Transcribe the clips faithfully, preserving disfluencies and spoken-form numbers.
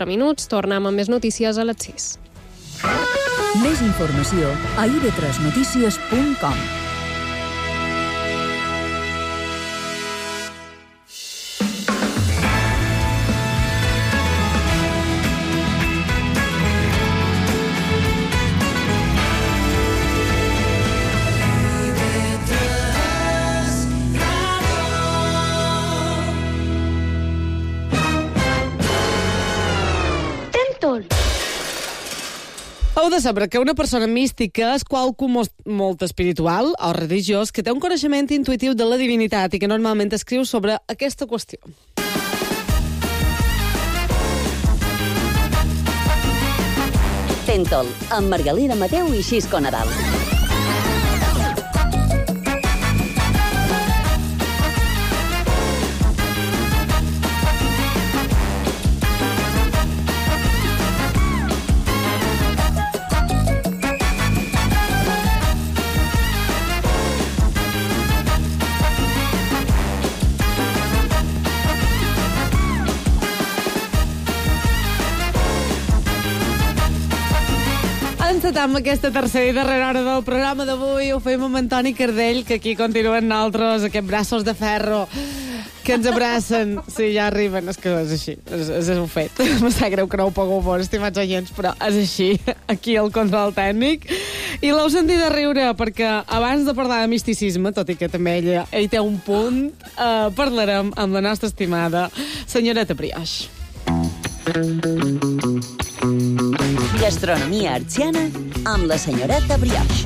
quatre minuts. Tornem amb més notícies a les sis. Més informació a i ve tres notícies punt com. Heu de saber que una persona mística és qualcú molt, molt espiritual o religiós que té un coneixement intuïtiu de la divinitat i que normalment escriu sobre aquesta qüestió. Tentol, amb Margalida Mateu i Xisco Nadal. Amb aquesta tercera i darrera hora del programa d'avui ho fem amb Antoni Cardell, que aquí continuen nosaltres, aquests braços de ferro que ens abracen. Sí, ja arriben, és que és així, és, és un fet. Em sap greu que no ho pugueu veure, estimats oients, però és així, aquí al control tècnic. I l'heu sentit de riure, perquè abans de parlar de misticisme, tot i que també ella, ell té un punt, eh, parlarem amb la nostra estimada senyoreta Brioix. Gastronomia artsiana amb la senyoreta Brioix.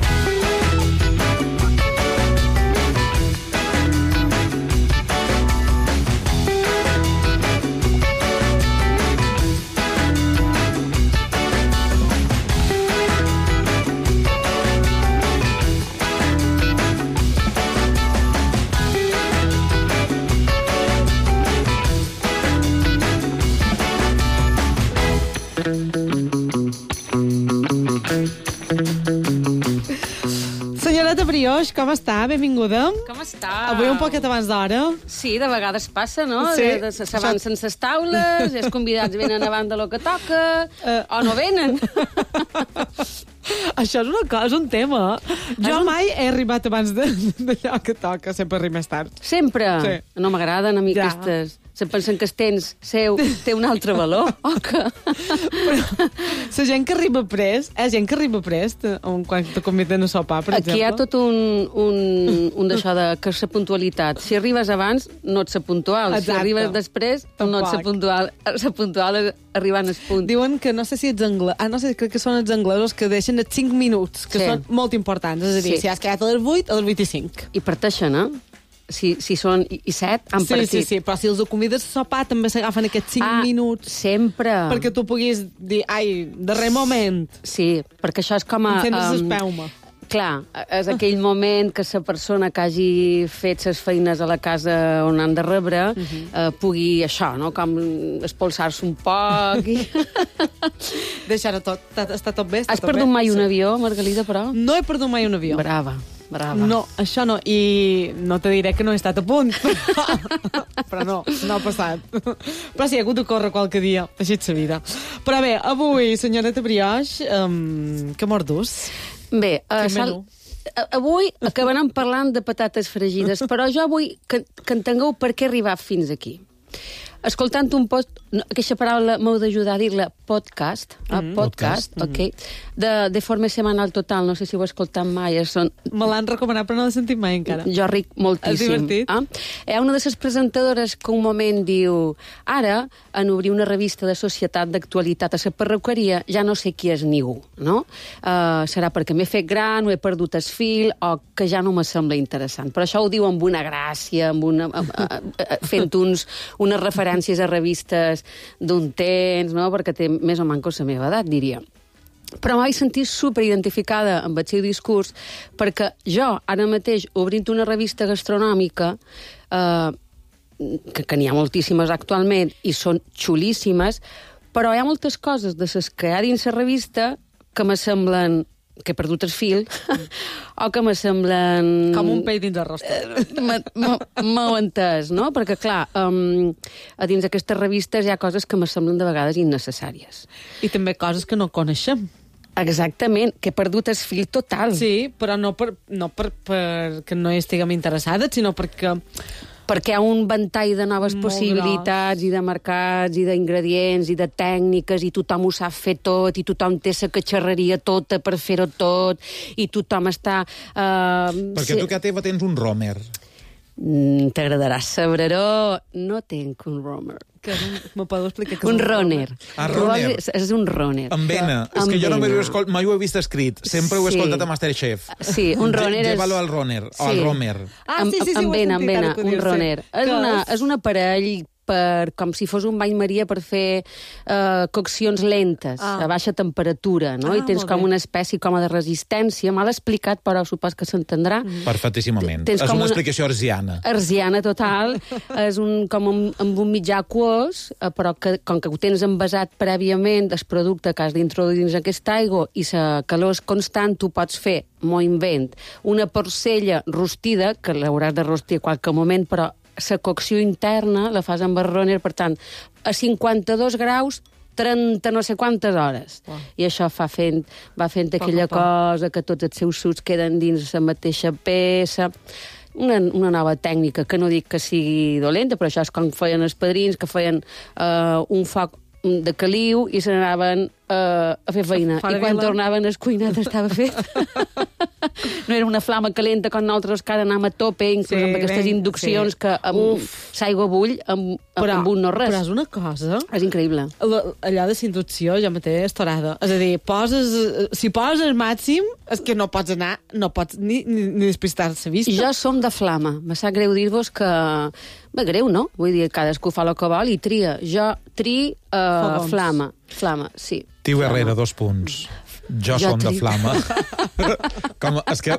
Senyoreta Brioix, com està? Benvinguda. Com està? Avui un poquet abans d'hora. Sí, de vegades passa, no? Sí. De, de, s'avancen ses taules, els convidats venen abans de lo que toca, uh. o no venen. Això és una cosa, un tema. Jo un... mai he arribat abans d'allò que toca, sempre arribo més tard. Sempre? Sí. No m'agraden a mi ja. aquestes... Se pensen que el temps seu té un altre valor, o que... Però la gent que arriba prest, eh, gent que arriba prest, quan te conviden a sopar, per Aquí exemple. hi ha tot un, un, un d'això de que és la puntualitat. Si arribes abans, no ets ser puntual. Exacte. Si arribes després, Tampoc. no ets ser puntual. Ser puntual és arribant al punt. Diuen que, no sé si ets anglès, ah, no sé, crec que són els anglesos que deixen els cinc minuts, que Sí. són molt importants. És a dir, Sí. si has quedat a les vuit, a les vuit i cinc. I parteixen, eh? Si, si són i, i set, han Sí, partit. sí, sí, però si els convides a sopar també s'agafen aquests cinc Ah, minuts sempre. perquè tu puguis dir, ai, darrer moment, Sí, perquè això és com a... encendre's em, l'espelma. Clar, és aquell moment que la persona que hagi fet les feines a la casa on han de rebre uh -huh. eh, pugui, això, no?, com espolsar-se un poc. I... Deixar-ho tot, està, està tot bé? Està Has tot perdut bé? mai un Sí. avió, Margalida, però? No he perdut mai un avió. Brava, brava. No, això no. I no te diré que no he estat a punt. Però no, no ha passat. Però sí, he hagut de córrer qualque dia. Així és la vida. Però bé, avui, senyoreta Brioix, um, què mordus? Bé, uh, Quin sal... menú? avui acabarem parlant de patates fregides, però jo vull que, que entengueu per què he arribat fins aquí. Escoltant un post... No, aquesta paraula m'heu d'ajudar a dir-la podcast, mm -hmm. podcast, podcast, ok, de, de forma semanal total, no sé si ho he escoltat mai. Són... Me l'han recomanat, però no l'he sentit mai encara. Jo ric moltíssim. És divertit. Ah? Hi ha una de les presentadores que un moment diu ara, en obrir una revista de societat d'actualitat a la perruqueria, ja no sé qui és ningú, no? Uh, serà perquè m'he fet gran, o he perdut el fil, o que ja no me sembla interessant. Però això ho diu amb una gràcia, amb una, uh, uh, fent uns, unes referències a revistes d'un temps, no?, perquè té més o menys la meva edat, diria. Però m'he sentit superidentificada amb el seu discurs perquè jo, ara mateix, obrint una revista gastronòmica, eh, que, que n'hi ha moltíssimes actualment i són xulíssimes, però hi ha moltes coses de les que hi ha dins la revista que me semblen que he perdut el fil, o que me semblen... Com un pell dins el rostre. M'ho entès, no? Perquè, clar, um, a dins d'aquestes revistes hi ha coses que me semblen de vegades innecessàries. I també coses que no coneixem. Exactament, que he perdut el fil total. Sí, però no per, no per, per que no hi estiguem interessades, sinó perquè... Perquè hi ha un ventall de noves Molt possibilitats gros. i de mercats i d'ingredients i de tècniques i tothom ho sap fer tot i tothom té la catxarreria tota per fer-ho tot i tothom està... Uh, Perquè tu, que a teva tens un romer. Mm, T'agradarà saber-ho. No tenc un romer. Que és un, me podeu explicar què és Un runner. Ah, runner. És, és un runner. Amb vena. És Amb que jo no vena. m'ho he escolt, mai ho he vist escrit. Sempre ho he Sí. escoltat a Masterchef. Sí, un runner és... Llévalo al runner, o al Sí. romer. Ah, Amb- sí, sí, sí, amb ho he vena, amb sentit, ara vena, que ho un dius, sí. runner. És, Que una, és- és un aparell per, com si fos un bany maria per fer uh, coccions lentes, Ah. a baixa temperatura, no? Ah, I tens molt com bé. una espècie com a de resistència. Mal explicat, però supos que s'entendrà. Mm. Perfectíssimament. Tens És com una una- explicació arsiana. Arsiana total, és un, com un, amb un mitjà aquós, eh, però que, com que ho tens envasat prèviament, el producte que has d'introduir dins aquesta aigua i la calor és constant, tu pots fer, m'ho invent, una porcella rostida, que l'hauràs de rostir a qualque moment, però la cocció interna la fas amb el runner, per tant, a cinquanta-dos graus, trenta no sé quantes hores. Wow. I això fa fent, va fent Poc a aquella poc. cosa que tots els seus sucs queden dins la mateixa peça. Una, una nova tècnica, que no dic que sigui dolenta, però això és com feien els padrins, que feien uh, un foc de caliu i se n'anaven uh, a fer feina. Fora I quan vila. tornaven el cuinat estava fet. No era una flama calenta com nosaltres que ara anem a tope, inclús Sí, amb aquestes ben, induccions sí. que amb l'aigua bull, amb, Però, amb un no res. però és una cosa... És increïble. La, allò de la inducció jo mateix és torada. És a dir, poses, eh, si poses màxim, és que no pots anar, no pots ni, ni, ni despistar-se vista. Jo som de flama. Me sap greu dir-vos que... Bé, greu, no? Vull dir, cadascú fa el que vol i tria. Jo tri uh, Fogons. flama. Flama, sí. Tio Flama. Herrera, dos punts. Jo, Jo som de tri- flama. Com, és que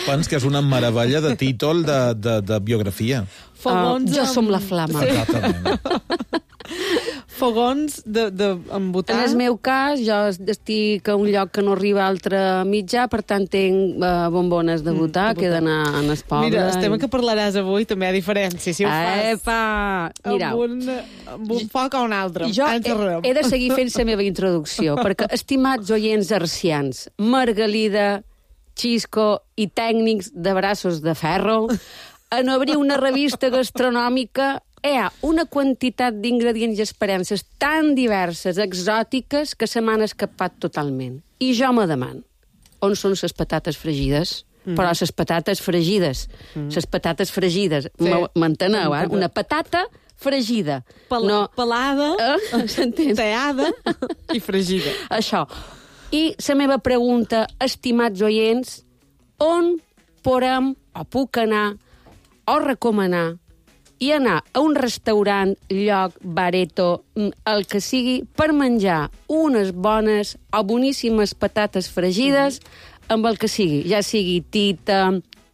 pens que és una meravella de títol de, de, de biografia. Fogons Uh, jo amb- som la flama. Sí. Exactament. Fogons de, de, amb butà. En el meu cas, jo estic a un lloc que no arriba a altre mitjà, per tant tinc uh, bombones de butà, de que he butà. d'anar a les pobres. Mira, el tema que parlaràs avui també hi ha diferència. Si ho fas Epa! Mirau, amb un, amb un foc o un altre. jo Ens he, arreu. he de seguir fent la meva introducció, perquè, estimats oients arcians, Margalida, Xisco i tècnics de braços de ferro, en obrir una revista gastronòmica hi ha una quantitat d'ingredients i esperances tan diverses, exòtiques, que se m'han escapat totalment. I jo me demano, on són les patates fregides? Mm. Però les patates fregides, les patates fregides, Sí. m'enteneu, eh? Entenc. Una patata fregida. Pel, no, pelada, Eh? S'entén? teada i fregida. Això. I la meva pregunta, estimats oients, on podem o puc anar o recomanar i anar a un restaurant, lloc, bareto, mm, el que sigui, per menjar unes bones o boníssimes patates fregides amb el que sigui, ja sigui tita,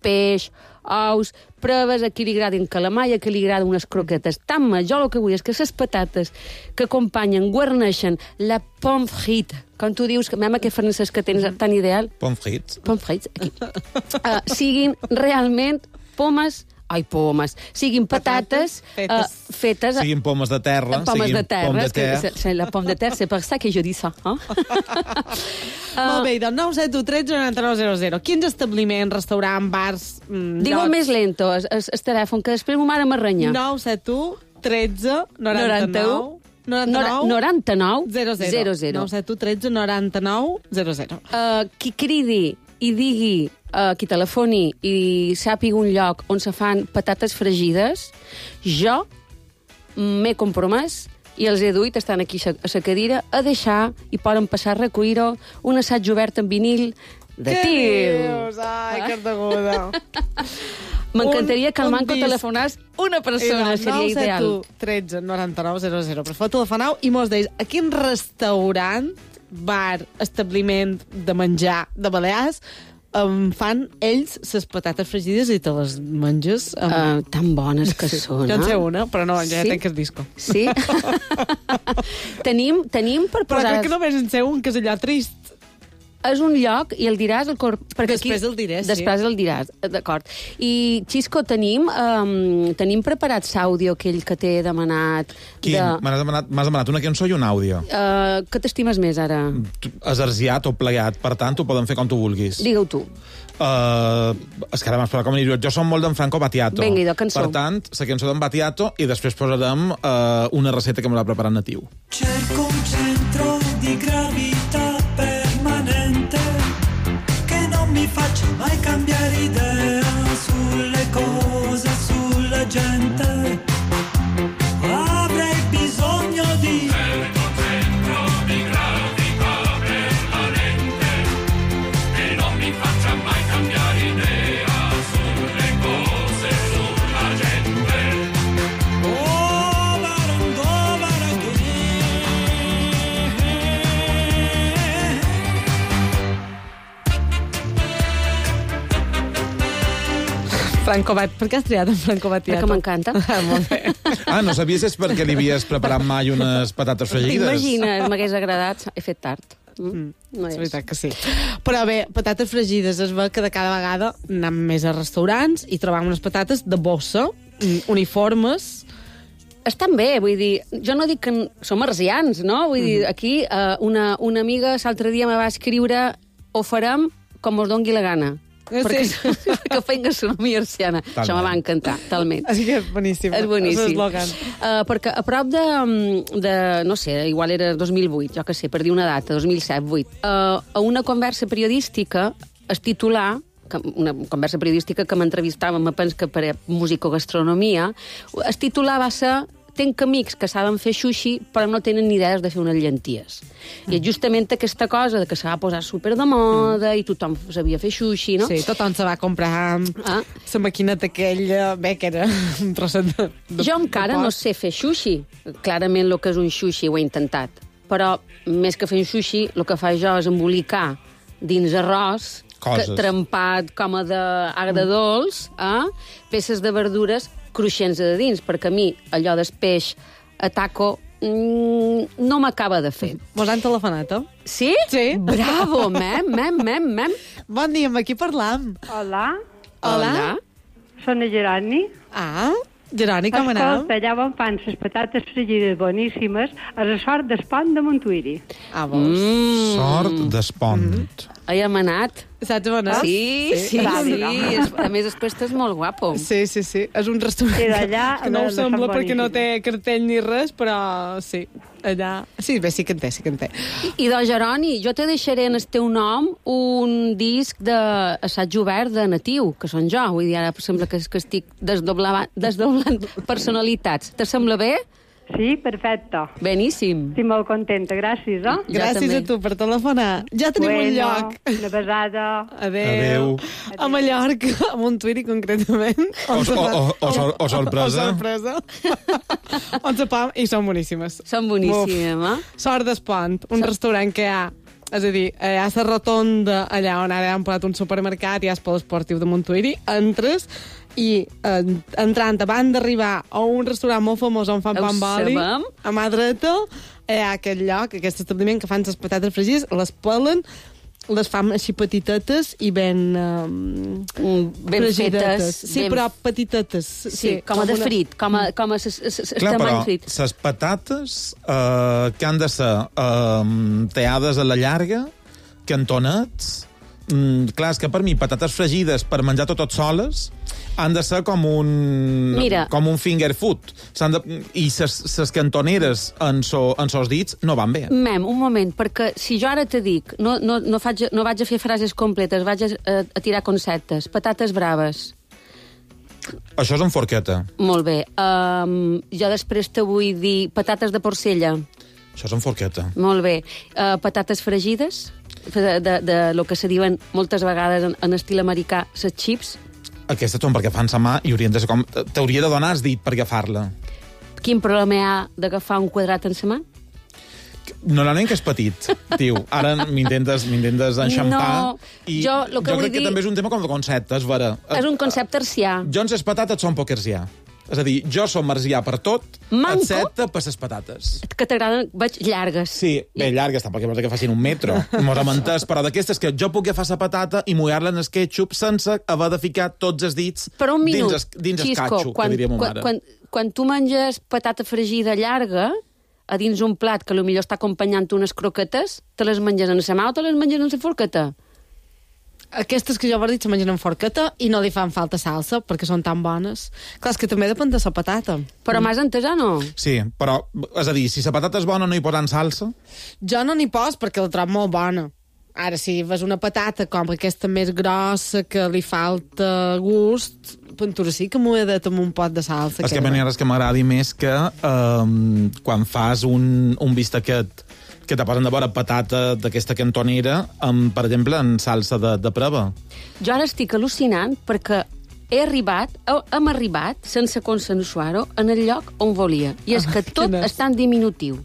peix, ous, proves, a qui li agradin calamar i a qui li agraden unes croquetes. Tant jo el que vull és que les patates que acompanyen, guarneixen la pomme frite, com tu dius, que mem aquest francès que tens tan ideal, Pommes frites. pomme frites, aquí, uh, siguin realment pomes, ai, pomes, siguin patates, Patates uh, fetes... a- Siguin pomes de terra, Pomes siguin de terra, pomme de és que terre. c'est- c'est la pomme de terre, c'est per ça que je dis ça. Eh? Molt bé, doncs nou set u tretze noranta nou zero zero. Quins establiments, restaurants, bars... Mm, Digue-ho llocs? més lento, el, el telèfon, que després ma mare m'arrenya. nou set u tretze noranta nou Nora- noranta-nou zero zero. zero zero. nou set u tretze noranta nou zero zero. Uh, qui cridi i digui, uh, qui telefoni i sàpiga un lloc on se fan patates fregides, jo m'he compromès i els he duit, estan aquí a la cadira, a deixar i poden passar a recollir-ho un assaig obert en vinil de Què tio. dius? Ai, que deguda. M'encantaria que al Un- un manco disc. telefonàs una persona, seria ideal. nou set u tretze noranta nou zero zero. Però fot telefonau i mos deis a quin restaurant, bar, establiment de menjar de Balears um, fan ells les patates fregides i te les menges amb... Uh, tan bones que són, Jo en sé eh? una, però no, ja Sí? tenc el disco. Sí? tenim, tenim per Però posar... crec que només en sé un, que és allò trist. és un lloc, i el diràs... El cor... Perquè Després el diré, sí. Després el diràs, d'acord. I, Xisco, tenim, um, tenim preparat l'àudio aquell que t'he demanat... Quin? De... M'has demanat, m'has demanat una cançó i un àudio. Uh, què t'estimes més, ara? Exerciat o plegat, per tant, ho poden fer com tu vulguis. Digue-ho tu. Uh, és que ara m'has parlat com anirio. Jo som molt d'en Franco Battiato. Vinga, idò, cançó. Per tant, la cançó d'en Battiato i després posarem uh, una recepta que me l'ha preparat natiu. Cerco un centro di gravità permanente che non mi faccia mai cambiare idea sulle cose, sulla gente. Avrei bisogno di cerco un centro di gravità permanente che non mi faccia mai cambiare idea sulle cose, sulla gente. Oh, barandò, baranghe. Franco Bat... Per què has triat en Franco Battiato? Perquè m'encanta. Ah, molt bé. Ah, no sabies és perquè li havies preparat mai unes patates fregides? T'imagines, m'hagués agradat. He fet tard. Mm. No És és. veritat que sí. Però bé, patates fregides es veu que de cada vegada anem més a restaurants i trobam unes patates de bossa, mm, uniformes. Estan bé, vull dir, jo no dic que n- som arsians, no? Vull dir, aquí uh, una, una amiga l'altre dia me va escriure ho farem com us dongui la gana. Eh, perquè, sí. perquè fem gastronomia arsiana. Talment. Això me va encantar, talment. Així que és boníssim. És boníssim. És l'eslògan. Uh, perquè a prop de, de, no sé, igual era dos mil vuit, jo que sé, per dir una data, dos mil set, vuit, uh, a una conversa periodística es titulà, que, una conversa periodística que m'entrevistava, me penso que per música o gastronomia, es titulava ser tenc amics que saben fer sushi però no tenen ni idees de fer unes llenties. Mm. I és justament aquesta cosa de que se va posar super de moda mm. i tothom sabia fer sushi, no? Sí, tothom se va comprar Ah. la maquineta aquella, bé, que era un trosset de, de Jo encara de no porc. sé fer sushi. Clarament el que és un sushi ho he intentat. Però més que fer un sushi, el que fa jo és embolicar dins arròs, Coses. que, trempat com a d'agredolç, eh? peces de verdures cruixents de dins, perquè a mi allò del peix a taco mm, no m'acaba de fer. Mos han telefonat, eh? Sí? Sí. Bravo, mem, mem, mem, mem. Bon dia, amb qui parlam? Hola, Hola. soc la Geroni. Ah, Geroni, com anem? Escolta, allà on fan les patates fregides boníssimes a la sort d'Espont de Montuïri. Ah, vols? Mm. Sort d'espont. Hi hem anat. Saps on és? Sí, sí, sí. Bravo. sí. Es- A més, després estàs molt guapo. Sí, sí, sí. És un restaurant Sí, d'allà, que no ho de- de sembla Sant perquè no té Boníssim. cartell ni res, però sí, allà... Sí, bé, sí que en té, sí que en té. I de Geroni, jo te deixaré en el teu nom un disc d'assaig obert de natiu, que són jo. Vull dir, ara sembla que, que estic desdoblant, desdoblant personalitats. Te sembla bé? Sí, perfecte. Beníssim. Estic molt contenta, gràcies, eh? Jo Gràcies també. a tu per telefonar. Ja tenim un lloc. Una besada. Adéu. Adéu. A Mallorca, a Montuïri concretament. O, o, o, o, sor, o sorpresa. O sorpresa. On se pam, i són boníssimes. Són boníssimes, eh? Sort d'Espont, un restaurant que hi ha, és a dir, hi ha la rotonda allà on ara han posat un supermercat, hi ha el pol esportiu de Montuïri, entres i eh, entrant abans d'arribar a un restaurant molt famós on fan Ho pa amb oli, sabem. a mà dreta, hi ha aquest lloc, aquest establiment que fan les patates fregides, les pelen, les fan així petitetes i ben... Um, Ben fetes. Sí, ben... però petitetes. Sí, sí, com a de una- frit, com a, com a s- s- s- Clar, tamany però frit. les patates eh, que han de ser eh, teades a la llarga, cantonets... Mm, clar, és que per mi patates fregides per menjar totes soles han de ser com un, Mira. com un finger food. S'han de, I les cantoneres en, so, en sos dits no van bé. Mem, un moment, perquè si jo ara te dic, no, no, no, faig, no vaig a fer frases completes, vaig a, a, a tirar conceptes. Patates braves. Això és en forqueta. Molt bé. Um, jo després te vull dir patates de porcella. Això és en forqueta. Molt bé. Uh, patates fregides, de, de, de lo que se diuen moltes vegades en, en estil americà, les chips. Aquestes són perquè fan sa mà i haurien de ser com... T'hauria de donar el dit per agafar-la. Quin problema hi ha d'agafar un quadrat en sa mà? Normalment que és petit, tio. Ara m'intentes m'intentes enxampar. No, i jo lo que jo vull crec dir- que també és un tema com de concepte, és vera. És un concepte arcià. Jo en les patates són poc arcià. És a dir, jo som marcià per tot, Manco? excepte per les patates. Que t'agraden, veig, llargues. Sí, bé, llargues, tampoc vols que facin un metro. Mos hem entès, però d'aquestes que jo puc agafar la patata i mullar-la en el ketchup sense haver de ficar tots els dits Però un minut, dins el, dins el Xisco, catxo, quan, que diria ma quan, mare. quan, quan tu menges patata fregida llarga, a dins un plat que potser està acompanyant unes croquetes, te les menges en la mà o te les menges en la forqueta? Aquestes que jo he dit se mengen en forqueta i no li fan falta salsa perquè són tan bones. Clar, és que també depèn de la patata. Però m'has entès o no? Sí, però, és a dir, si la patata és bona no hi posen salsa? Jo no n'hi pos perquè la trobo molt bona. Ara, si ves una patata com aquesta més grossa, que li falta gust, pintura sí que m'ho he dit amb un pot de salsa. És que a mi res que m'agradi més que um, quan fas un, un bistequet que te posen de vora patata d'aquesta cantonera, amb, per exemple, en salsa de, de prova. Jo ara estic al·lucinant perquè he arribat, hem arribat, sense consensuar-ho, en el lloc on volia. I és que tot està en diminutiu.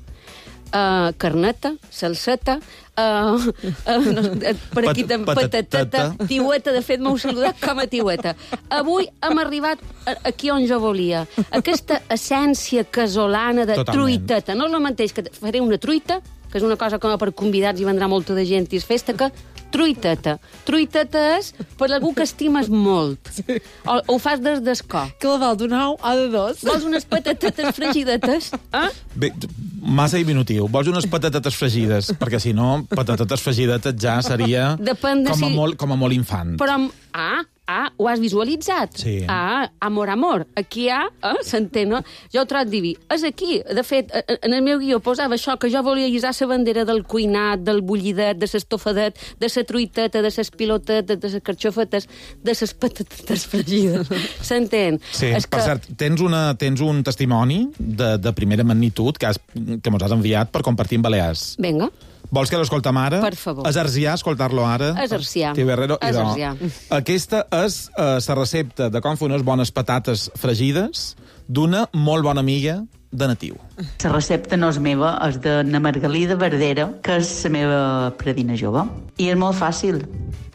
Uh, carneta, salseta, uh, uh, no, per aquí Pat- patateta, patateta. tiueta, de fet m'heu saludat com a tiueta. Avui hem arribat aquí on jo volia. Aquesta essència casolana de Totalment. truiteta. No és el mateix que faré una truita, que és una cosa com per convidats i vendrà molta de gent i és festa, que truiteta. Truiteta és per algú que estimes molt. Sí. O, o ho fas des d'escó. Que la val d'un ou o de dos. Vols unes patatetes fregidetes? Eh? Bé, massa diminutiu. Vols unes patatetes fregides? Perquè, si no, patatetes fregidetes ja seria Depèn de com, a si- molt, com a molt infant. Però, amb- ah, ah, ho has visualitzat? Sí. Ah, amor, amor. Aquí hi ha, eh, s'entén, no? Jo ho trobo diví. És aquí. De fet, eh, en el meu guió posava això, que jo volia guisar la bandera del cuinat, del bullidet, de l'estofadet, de la truiteta, de les pilotetes, de les carxofetes, de les patatetes fregides. S'entén? Sí, És per cert, tens, una, tens un testimoni de, de primera magnitud que, has, que mos has enviat per compartir amb Balears. Vinga. Vols que l'escoltem ara? Per favor. Exerciar, escoltar-lo ara? Exerciar. Tio Herrero. I no. Exerciar. Aquesta és la uh, recepta de com fer unes bones patates fregides d'una molt bona amiga de Natiu. La recepta no és meva, és de na Margalida Verdera, que és la meva predina jove. I és molt fàcil.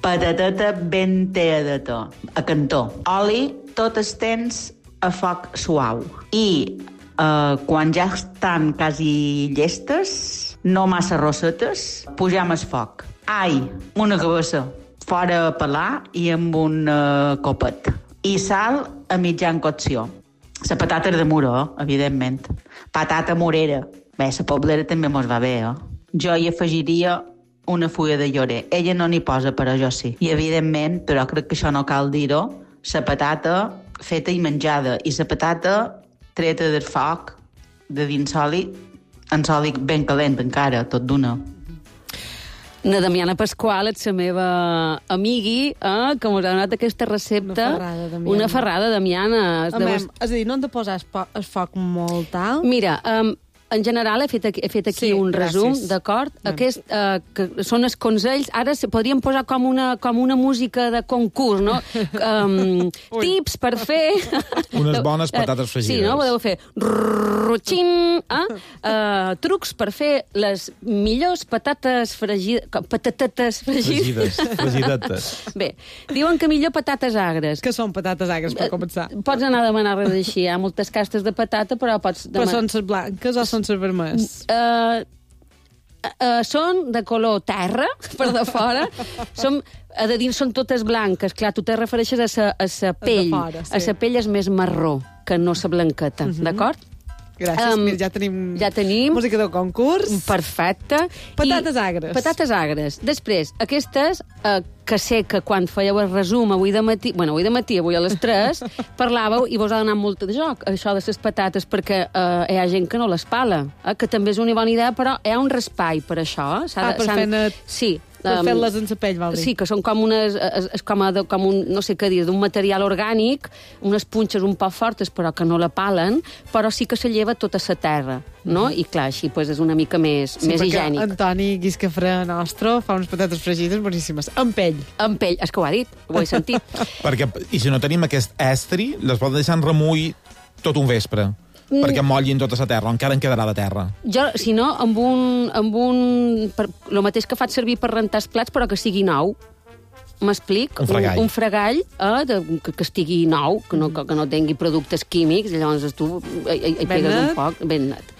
Patateta ben teadeta, a cantó. Oli, tot el temps a foc suau. I eh, quan ja estan quasi llestes, no massa rossetes, pujam el foc. Ai, una cabassa, fora a pelar i amb un uh, copet. I sal a mitjan cocció. La patata és de muro, eh? Evidentment. Patata morera. Bé, la poblera també mos va bé, eh? Jo hi afegiria una fulla de llorer. Ella no n'hi posa, però jo sí. I, evidentment, però crec que això no cal dir-ho, la patata feta i menjada. I la patata treta del foc, de dins oli, en oli ben calent encara, tot d'una. Na Damiana Pasqual, ets la meva amigui, eh, que m'ha donat aquesta recepta. Una ferrada, Damiana. Una ferrada, Damiana. Amem, és a dir, no hem de posar el, po el foc molt alt. Mira, um, en general he fet aquí, he fet aquí Sí, un resum, gràcies. d'acord? Bueno. Aquest, uh, que són els consells. Ara se podríem posar com una, com una música de concurs, no? Um, tips per fer... Unes bones patates fregides. Sí, no? Podeu fer... Rutxin, eh? uh, trucs per fer les millors patates fregides... Patatetes fregides. Fregides, fregidetes. Bé, diuen que millor patates agres. Que són patates agres, per començar. Pots anar a demanar res així. Hi ha moltes castes de patata, però pots Però demanar... són les blanques o són les vermelles? Uh, uh, són de color terra, per de fora. Som, a de dins són totes blanques. Clar, tu te refereixes a sa, a sa pell. fora, sí. A sa pell és més marró que no sa blanqueta, d'acord? Gràcies, Um, mira, ja tenim... ja tenim. Música de concurs. Perfecte. Patates I- agres. Patates agres. Després, aquestes, eh, que sé que quan fèieu el resum avui de matí, bueno, avui de matí, avui a les tres, parlàveu i vos ha donat molt de joc, això de les patates, perquè eh, hi ha gent que no les pala, eh, que també és una bona idea, però hi ha un raspall per això. Eh? Ah, per s'han- fer-ne- Sí. Per um, fer-les en la pell, vol dir. Sí, que són com unes... És, és com, a, de- com un, no sé què dir, d'un material orgànic, unes punxes un poc fortes, però que no la palen, però sí que se lleva tota la terra, no? I clar, així pues, és una mica més, Sí, més perquè higiènic. Antoni Guiscafré nostre fa unes patates fregides boníssimes. Amb pell. Amb pell, és que ho ha dit, ho he sentit. Perquè, i si no tenim aquest estri, les poden deixar en remull tot un vespre. Mm. Perquè mollin tota la terra, encara en quedarà de terra. Jo, si no, amb un... Amb un per, lo mateix que faig servir per rentar els plats, però que sigui nou. m'explic, Un fregall. un, un fregall eh, de, que, que estigui nou, que no, que, que no tingui productes químics, i llavors tu hi, hi, hi pegues net. un poc, ben net.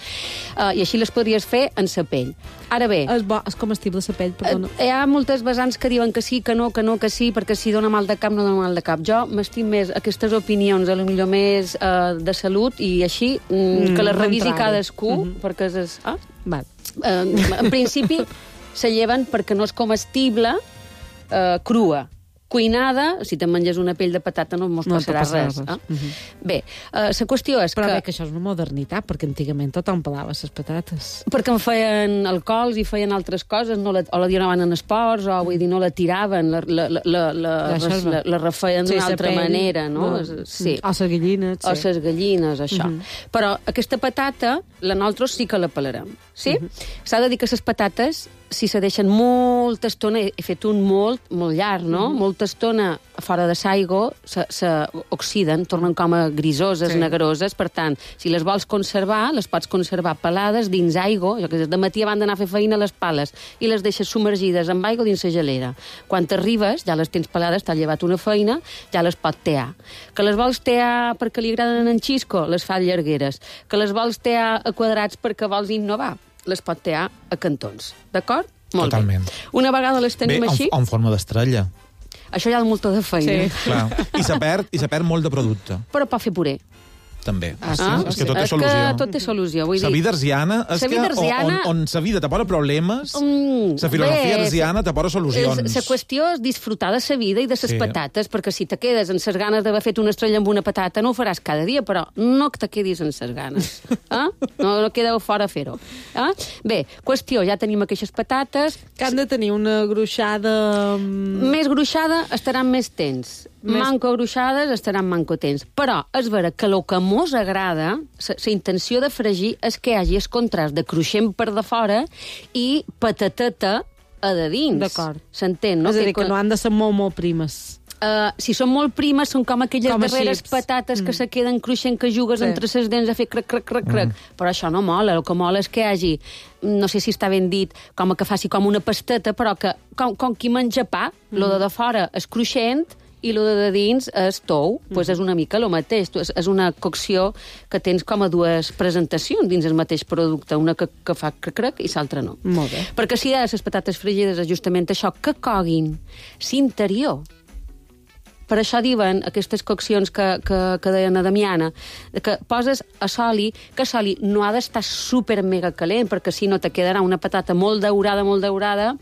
Uh, I així les podries fer en sa pell. Ara bé, És, bo, és comestible la pell, perdona. Eh, hi ha moltes vessants que diuen que sí, que no, que no, que sí, perquè si dona mal de cap, no dona mal de cap. Jo m'estim més aquestes opinions, a lo millor més eh, de salut, i així, mm, que les no revisi entrar-hi. cadascú, Mhm. perquè és... Ah? Val. Eh, en principi, se lleven perquè no és comestible eh, crua. Cuinada, si te menges una pell de patata no mos No passarà, te passarà res. res. Eh? Mhm. Bé, eh, la qüestió és Però que... bé, que això és una modernitat, perquè antigament tothom pelava les patates. Perquè en feien alcohols i feien altres coses, no la, o la donaven en esports, o vull dir, no la tiraven, la, la, la, la, la, La la, la, la refeien Sí, d'una sa altra pell, manera, no? no. Sí. O les gallines, O sí. les gallines, això. Mhm. Però aquesta patata, la nosaltres sí que la pelarem, sí? S'ha de dir que les patates, si se deixen molta estona, he he fet un molt, molt llarg, no? Molta estona fora de s'aigua, se, se oxiden, tornen com a grisoses, Sí. negroses, per tant, si les vols conservar, les pots conservar pelades dins aigua, jo que sé, de matí van d'anar a fer feina a les pales, i les deixes submergides amb aigua dins la gelera. Quan t'arribes, ja les tens pelades, t'ha llevat una feina, ja les pot tear. Que les vols tear perquè li agraden en xisco, les fa llargueres. Que les vols tear a quadrats perquè vols innovar, les pot tear a cantons. D'acord? Molt Totalment. bé. Una vegada les Bé, tenim en, així, en forma d'estrella. això ja és molta de feina. Sí. Clar. I se perd, i se perd molt de producte, Però pot fer puré. també. Ah, sí? Ah? És que tot té és solució. que tot té solució. Vull La dir, vida arsiana és Sa que vida on, arsiana- on, on sa vida te posa problemes, Mm, la filosofia bé, arsiana te posa solucions. La qüestió és disfrutar de sa vida i de ses Sí. patates, perquè si te quedes amb ses ganes d'haver fet una estrella amb una patata, no ho faràs cada dia, però no que te quedis amb ses ganes. Eh? No, no quedeu fora a fer-ho. Eh? Bé, qüestió, ja tenim aquestes patates. Que han de tenir una gruixada... mm, Més gruixada estaran més tens. Més- Manco gruixades estaran manco tens. Però és vera que el que mos agrada, la intenció de fregir, és que hi hagi el contrast de cruixent per de fora i patateta a de dins. D'acord. S'entén, no? és a dir, que no han de ser molt, molt primes. Uh, si són molt primes, són com aquelles Com a darreres xips. patates que Mm. se queden cruixent, que jugues Sí. entre ses dents a fer crac, crac, crac, crac. Però això no mola. El que mola és que hi hagi, no sé si està ben dit, com que faci com una pasteta, però que, com, com qui menja pa, mm. lo de de fora és cruixent i lo de de dins és tou. Mm. Pues és una mica el mateix. Tu, és, és una cocció que tens com a dues presentacions dins el mateix producte. Una que, que fa crac, crac i l'altra no. Molt bé. Perquè si hi ha les patates fregides és justament això, que coguin l'interior. Per això diuen aquestes coccions que, que, que deien a Damiana, que poses a soli, que soli no ha d'estar super mega calent, perquè si no te quedarà una patata molt daurada, molt daurada,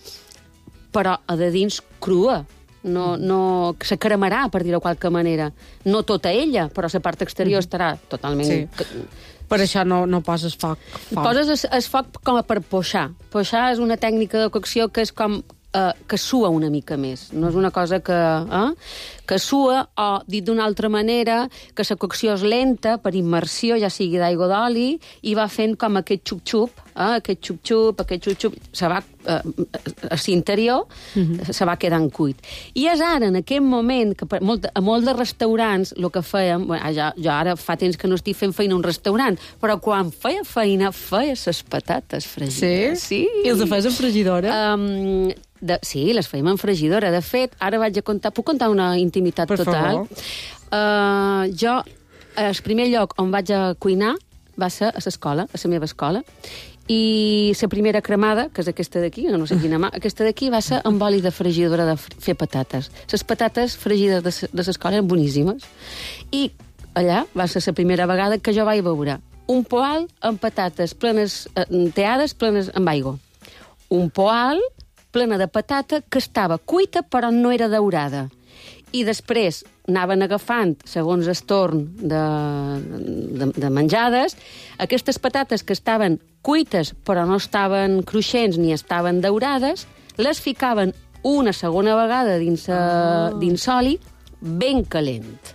però a de dins crua. No, no, que se cremarà, per dir-ho de qualque manera. No tota ella, però la part exterior estarà totalment... Sí. Per això no, no poses foc. foc. Poses es, es foc com a per poixar. Poixar és una tècnica de cocció que és com eh, que sua una mica més. No és una cosa que... Eh, que sua, o, dit d'una altra manera, que la cocció és lenta, per immersió, ja sigui d'aigua d'oli, i va fent com aquest xup-xup, eh, aquest xup-xup, aquest xup-xup, se va, eh, a l'interior, mm-hmm. se va quedant cuit. I és ara, en aquest moment, que per, molt, a molts de restaurants, el que fèiem, bueno, jo, jo ara fa temps que no estic fent feina a un restaurant, però quan feia feina, feia les patates fregides. Sí? I els fes en fregidora? Um, de, sí, les fèiem en fregidora. De fet, ara vaig a contar... Puc contar una intimitat Per total? favor. Uh, jo, el primer lloc on vaig a cuinar va ser a l'escola, a la meva escola, i la primera cremada, que és aquesta d'aquí, no sé quina mà, aquesta d'aquí va ser amb oli de fregidora de fer patates. Les patates fregides de, de l'escola eren boníssimes. I allà va ser la primera vegada que jo vaig veure un poal amb patates plenes, eh, teades plenes amb aigua. Un poal plena de patata que estava cuita però no era daurada. I després anaven agafant, segons el torn de, de, de menjades, aquestes patates que estaven cuites però no estaven cruixents ni estaven daurades, les ficaven una segona vegada dins, uh, dins oli ben calent.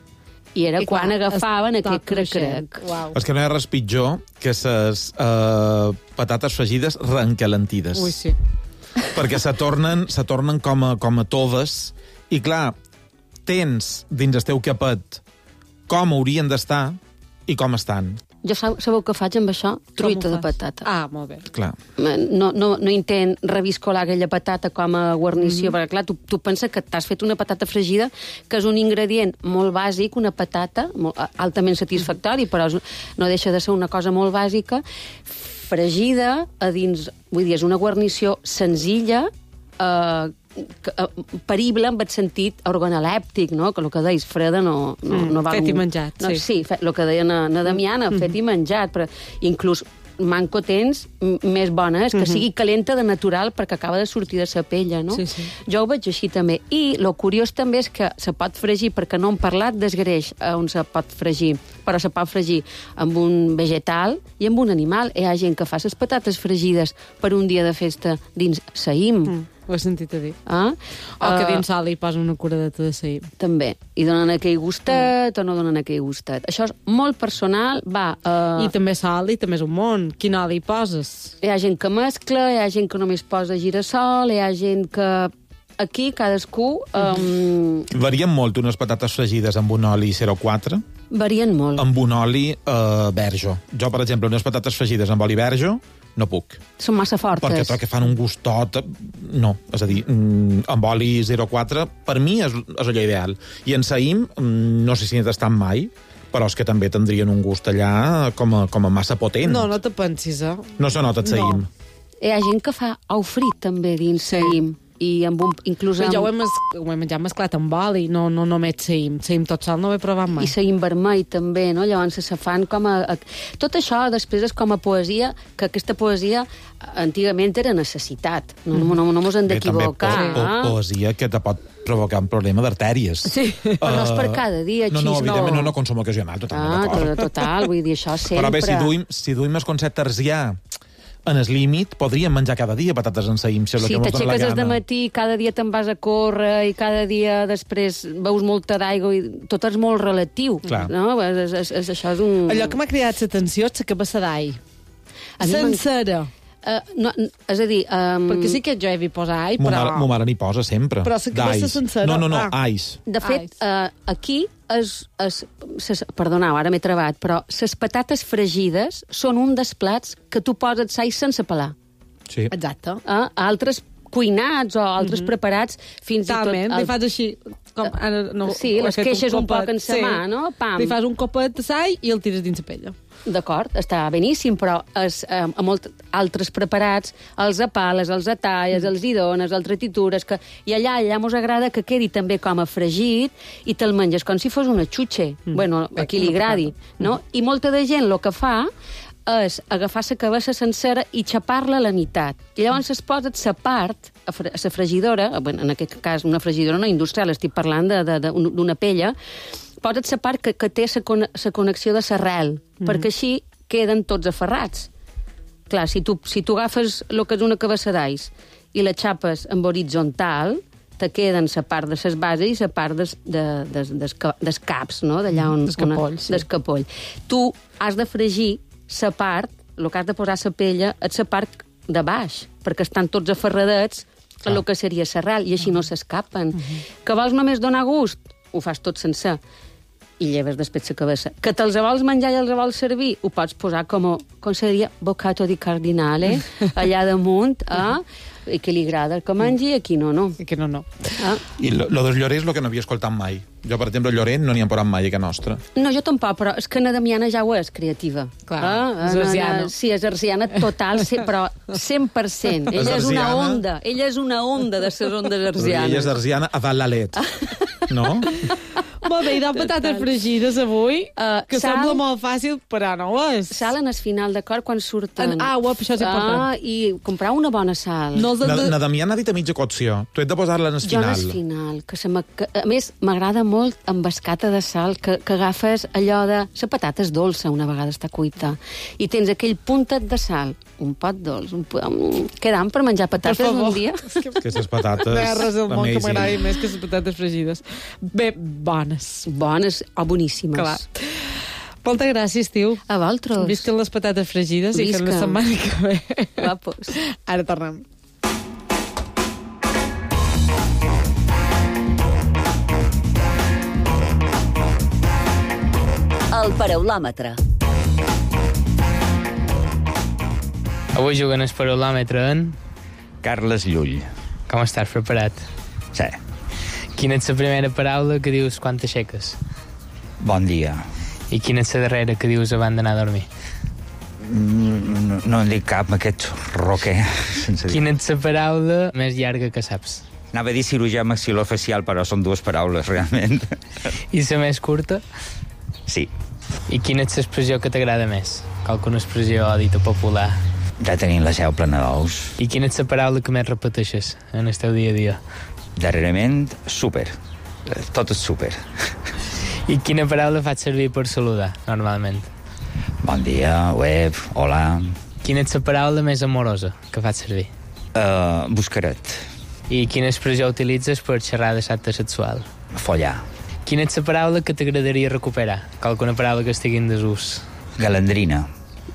I era I quan clar, agafaven es- aquest tot cruixent. crec-crec. Uau. És que no hi ha res pitjor que les uh, patates fregides reencalentides. Ui, sí. Perquè se tornen, se tornen com, a, com a toves i, clar, tens dins el teu capet com haurien d'estar i com estan. Jo sab- sabeu què faig amb això? Truita de patata. Ah, molt bé. Clar. No, no, no intent reviscolar aquella patata com a guarnició, Mhm. perquè clar, tu, tu penses que t'has fet una patata fregida, que és un ingredient molt bàsic, una patata molt, altament satisfactori, però és, no deixa de ser una cosa molt bàsica, fregida a dins, vull dir, és una guarnició senzilla, eh, que, eh, perible en el sentit organolèptic, no? Que el que deies, freda no, no, Mm, no val... fet i un- menjat, no, sí. Sí, fe, el que deia na, na Damiana, mm -hmm. fet i menjat, però inclús manco tens m- més bona és que mm -hmm. sigui calenta de natural perquè acaba de sortir de sa pella, no? Sí, sí. Jo ho veig així també. I lo curiós també és que se pot fregir, perquè no hem parlat del greix on se pot fregir, però se pot fregir amb un vegetal i amb un animal. Hi ha gent que fa les patates fregides per un dia de festa dins saïm. Mm, ho he sentit a dir. Ah? O que Eh, dins sol hi posa una curadeta de saïm. també. I donen aquell gustet mm. o no donen aquell gustet. Això és molt personal, va... Uh, I també sal i també és un món. Quin oli hi poses? Hi ha gent que mescla, hi ha gent que només posa girassol, hi ha gent que... Aquí cadascú um, Varien molt unes patates fregides amb un oli zero coma quatre varien molt. amb un oli eh, verge. Jo, per exemple, unes patates fregides amb oli verge no puc. Són massa fortes. Perquè trobo que fan un gustot... No, és a dir, mm, amb oli zero coma quatre, per mi és, és allò ideal. I en saïm, mm, no sé si n'he tastat mai, però és que també tindrien un gust allà com a, com a massa potent. No, no te pensis, eh? No se nota el saïm. No. Hi ha gent que fa ou frit també dins saïm. I amb un, inclús Però amb... jo ho he, mes, ho he menjat mesclat amb oli, no, no només saïm. Saïm tot sol no ho he provat mai. I saïm vermell també, no? Llavors se fan com a, a... Tot això després és com a poesia, que aquesta poesia antigament era necessitat. No, no, no, no mos hem Bé, també po d'equivocar. po eh? poesia que te pot provocar un problema d'artèries. Sí, però no és per cada dia, No, no, xis, evidentment, no, no, consum ocasional, totalment Ah, d'acord. tot, total, vull dir, això sempre... Però bé, si duim, si duim el concepte arsià en el límit, podríem menjar cada dia patates en saïm, si és el Si que mos dona la t'aixeques des de gana. matí, cada dia te'n vas a córrer i cada dia després veus molta d'aigua i tot és molt relatiu. Clar. No? És, és, és, això és un... Allò que m'ha cridat l'atenció és la cabassa d'all. A mi m'en- Sencera. Uh, no, és a dir... Um, Perquè sí que jo he vist posar all, Mo però... mare, mo mare n'hi posa sempre. Però la cabassa D'ais. sencera. No, no, no, Ah. ais. De fet, uh, aquí es, es, ses, perdoneu, ara m'he trebat, però les patates fregides són un dels plats que tu poses sai sense pelar. Sí. Exacte. Uh, altres cuinats o altres mm -hmm. preparats fins Talment, i tot... li fas així... Com, ara, no, Sí, ho he les fet queixes un copet. poc en sa mà, no? Pam. Li fas un copet de sall i el tires dins la pella. D'acord, està beníssim, però es, eh, a molts altres preparats els apales, els atalles, els hi dones, els tritures, que, i allà allà mos agrada que quedi també com a fregit i te'l menges com si fos una xutxe. Mm. Bueno, a qui li agradi, no? I molta de gent el que fa és agafar la cabassa sencera i xapar-la a la meitat. I llavors es posa sa part, a fre- a la fregidora, bueno, en aquest cas una fregidora no industrial, estic parlant de- de- de- d'una pella, posa't la part que, que té la con connexió de l'arrel, mm -hmm. perquè així queden tots aferrats. Clar, si tu, si tu agafes el que és una cabassa d'ais i la xapes en horitzontal, te queden la part de les bases i la part des, de, des, des, des caps, no? D'allà on... Des capoll, sí. Des capoll. Tu has de fregir la part, el que has de posar la pella, és la part de baix, perquè estan tots aferradets a el que seria l'arrel, i així no s'escapen. Uh -huh. Que vols només donar gust? Ho fas tot sencer i lleves després la cabassa. Que te'ls vols menjar i els vols servir? Ho pots posar com, com seria boccato di cardinale, allà damunt, eh? I que li agrada el que mengi i aquí no, no. I que no, no. Ah. I lo, lo dels llorers és el que no havia escoltat mai. Jo, per exemple, llorer no n'hi han posat mai a casa nostra. No, jo tampoc, però és que na Damiana ja ho és, creativa. Clar, Ah, és na- na- arsiana. Sí, és arsiana total, sí, però cent per cent. És Ella és una arsiana. onda, ella és una onda de les ondes Ella és arsianes. arsiana a dalt la let. No? Molt bé, i de patates fregides avui, Uh, que sal- sembla molt fàcil, però no ho és. Sal en el final, d'acord, quan surten. En aigua, això és important. Ah, i comprar una bona sal. No els de... Na, na Damià n'ha dit a mitja cocció. Tu has de posar-la en el Jo final. en el final, que, se me, que a més m'agrada molt amb escata de sal, que, que agafes allò de... La patata és dolça una vegada està cuita, i tens aquell puntet de sal, un pot dolç, un pot... Mm, quedant per menjar patates Per favor. un dia. Aquestes patates... No hi ha res del món que amazing. m'agradi més que les patates fregides. Bé, bones. Bones o boníssimes. Clar. Moltes gràcies, tio. A vosaltres. Visquen les patates fregides i fem la Visca. setmana que ve. Guapos. Ara tornem. El paraulòmetre. Avui juguen el parolòmetre en... Carles Llull. Com estàs preparat? Sí. Quina és la primera paraula que dius quan t'aixeques? Bon dia. I quina és la darrera que dius abans d'anar a dormir? No, no en dic cap, aquest roquer. Quina és la paraula més llarga que saps? Anava a dir cirurgià maxilofacial, però són dues paraules, realment. I la més curta? Sí. I quina és l'expressió que t'agrada més? Qualcuna expressió dita popular? Ja tenim la seu plena d'ous. I quina és la paraula que més repeteixes en el teu dia a dia? Darrerament, súper. Tot és súper. I quina paraula faig servir per saludar, normalment? Bon dia, web, hola... Quina és la paraula més amorosa que faig servir? Uh, buscaret. I quina expressió utilitzes per xerrar de l'acte sexual? Follar. Quina és la paraula que t'agradaria recuperar? Qualcuna paraula que estigui en desús? Galandrina.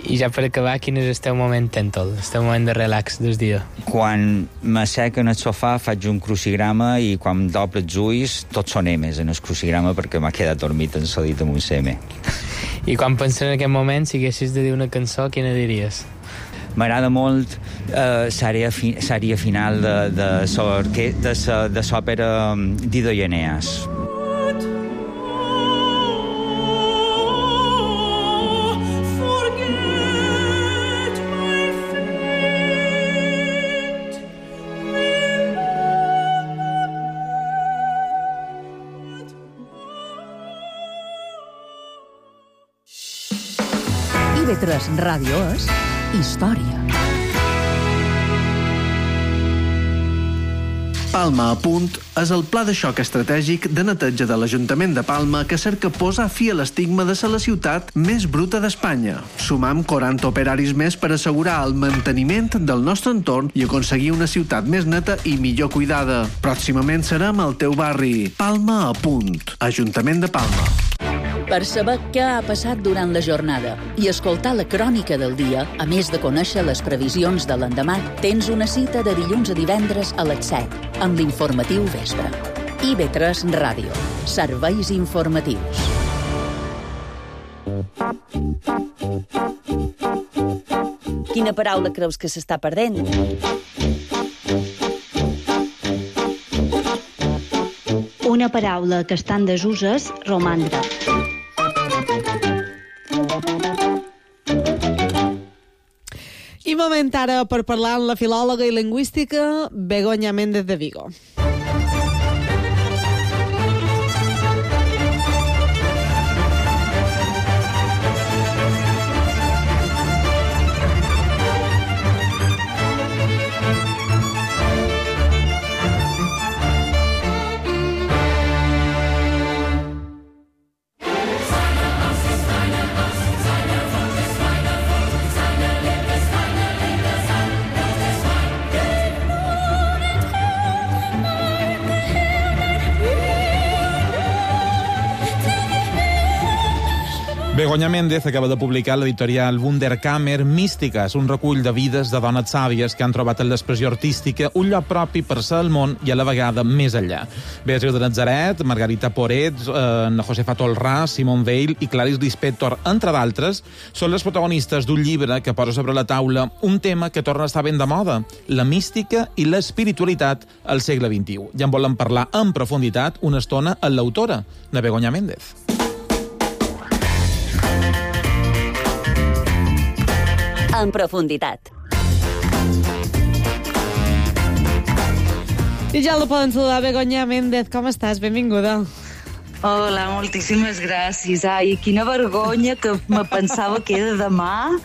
I ja per acabar, quin és el teu moment tèntol, el teu moment de relax del dia? Quan m'assec en el sofà faig un crucigrama i quan doble els ulls tots són emes en el crucigrama perquè m'ha quedat dormit ensodit amb un seme. I quan penses en aquest moment, si haguessis de dir una cançó, quina diries? M'agrada molt eh, l'àrea fi, final de, de, de, de, de l'òpera Dido i Eneas. I V tres Ràdio és història. Palma a punt és el pla de xoc estratègic de neteja de l'Ajuntament de Palma que cerca posar fi a l'estigma de ser la ciutat més bruta d'Espanya. Sumam quaranta operaris més per assegurar el manteniment del nostre entorn i aconseguir una ciutat més neta i millor cuidada. Pròximament serem al teu barri. Palma a punt. Ajuntament de Palma. Per saber què ha passat durant la jornada i escoltar la crònica del dia, a més de conèixer les previsions de l'endemà, tens una cita de dilluns a divendres a les set, amb l'informatiu vespre. I V tres Ràdio. Serveis informatius. Quina paraula creus que s'està perdent? Una paraula que està en desús és romandre. I moment ara per parlar amb la filòloga i lingüística Begoña Méndez de Vigo. Begoña Méndez acaba de publicar l'editorial Wunderkammer Mística. És un recull de vides de dones sàvies que han trobat en l'expressió artística un lloc propi per ser al món i a la vegada més enllà. Beatriu de Nazaret, Margarita Porets, eh, Josefa Tolrà, Simone Weil i Clarice Lispector, entre d'altres, són les protagonistes d'un llibre que posa sobre la taula un tema que torna a estar ben de moda, la mística i l'espiritualitat al segle vint-i-u. Ja en volem parlar en profunditat una estona amb l'autora, la Begoña Méndez. En profunditat. I ja la poden saludar, Begoña Méndez. Com estàs? Benvinguda. Hola, moltíssimes gràcies. Ai, quina vergonya que me pensava que era demà.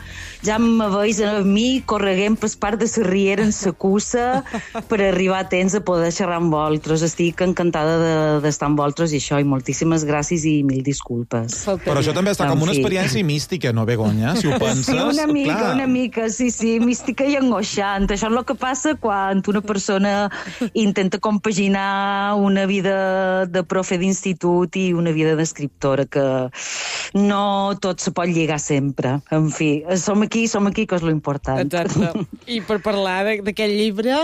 Ja me veig a mi correguent per part de la riera en sa cussa per arribar a temps a poder xerrar amb vosaltres. Estic encantada d'estar amb vosaltres i això, i moltíssimes gràcies i mil disculpes. Però això també està com una experiència mística, no, Begoña? Si ho penses... Sí, una mica, clar. una mica, sí, sí, mística i angoixant. Això és el que passa quan una persona intenta compaginar una vida de profe d'institut i una vida d'escriptora, que no tot se pot lligar sempre. En fi, som aquí, som aquí, que és lo important. Exacte. I per parlar d'aquest llibre,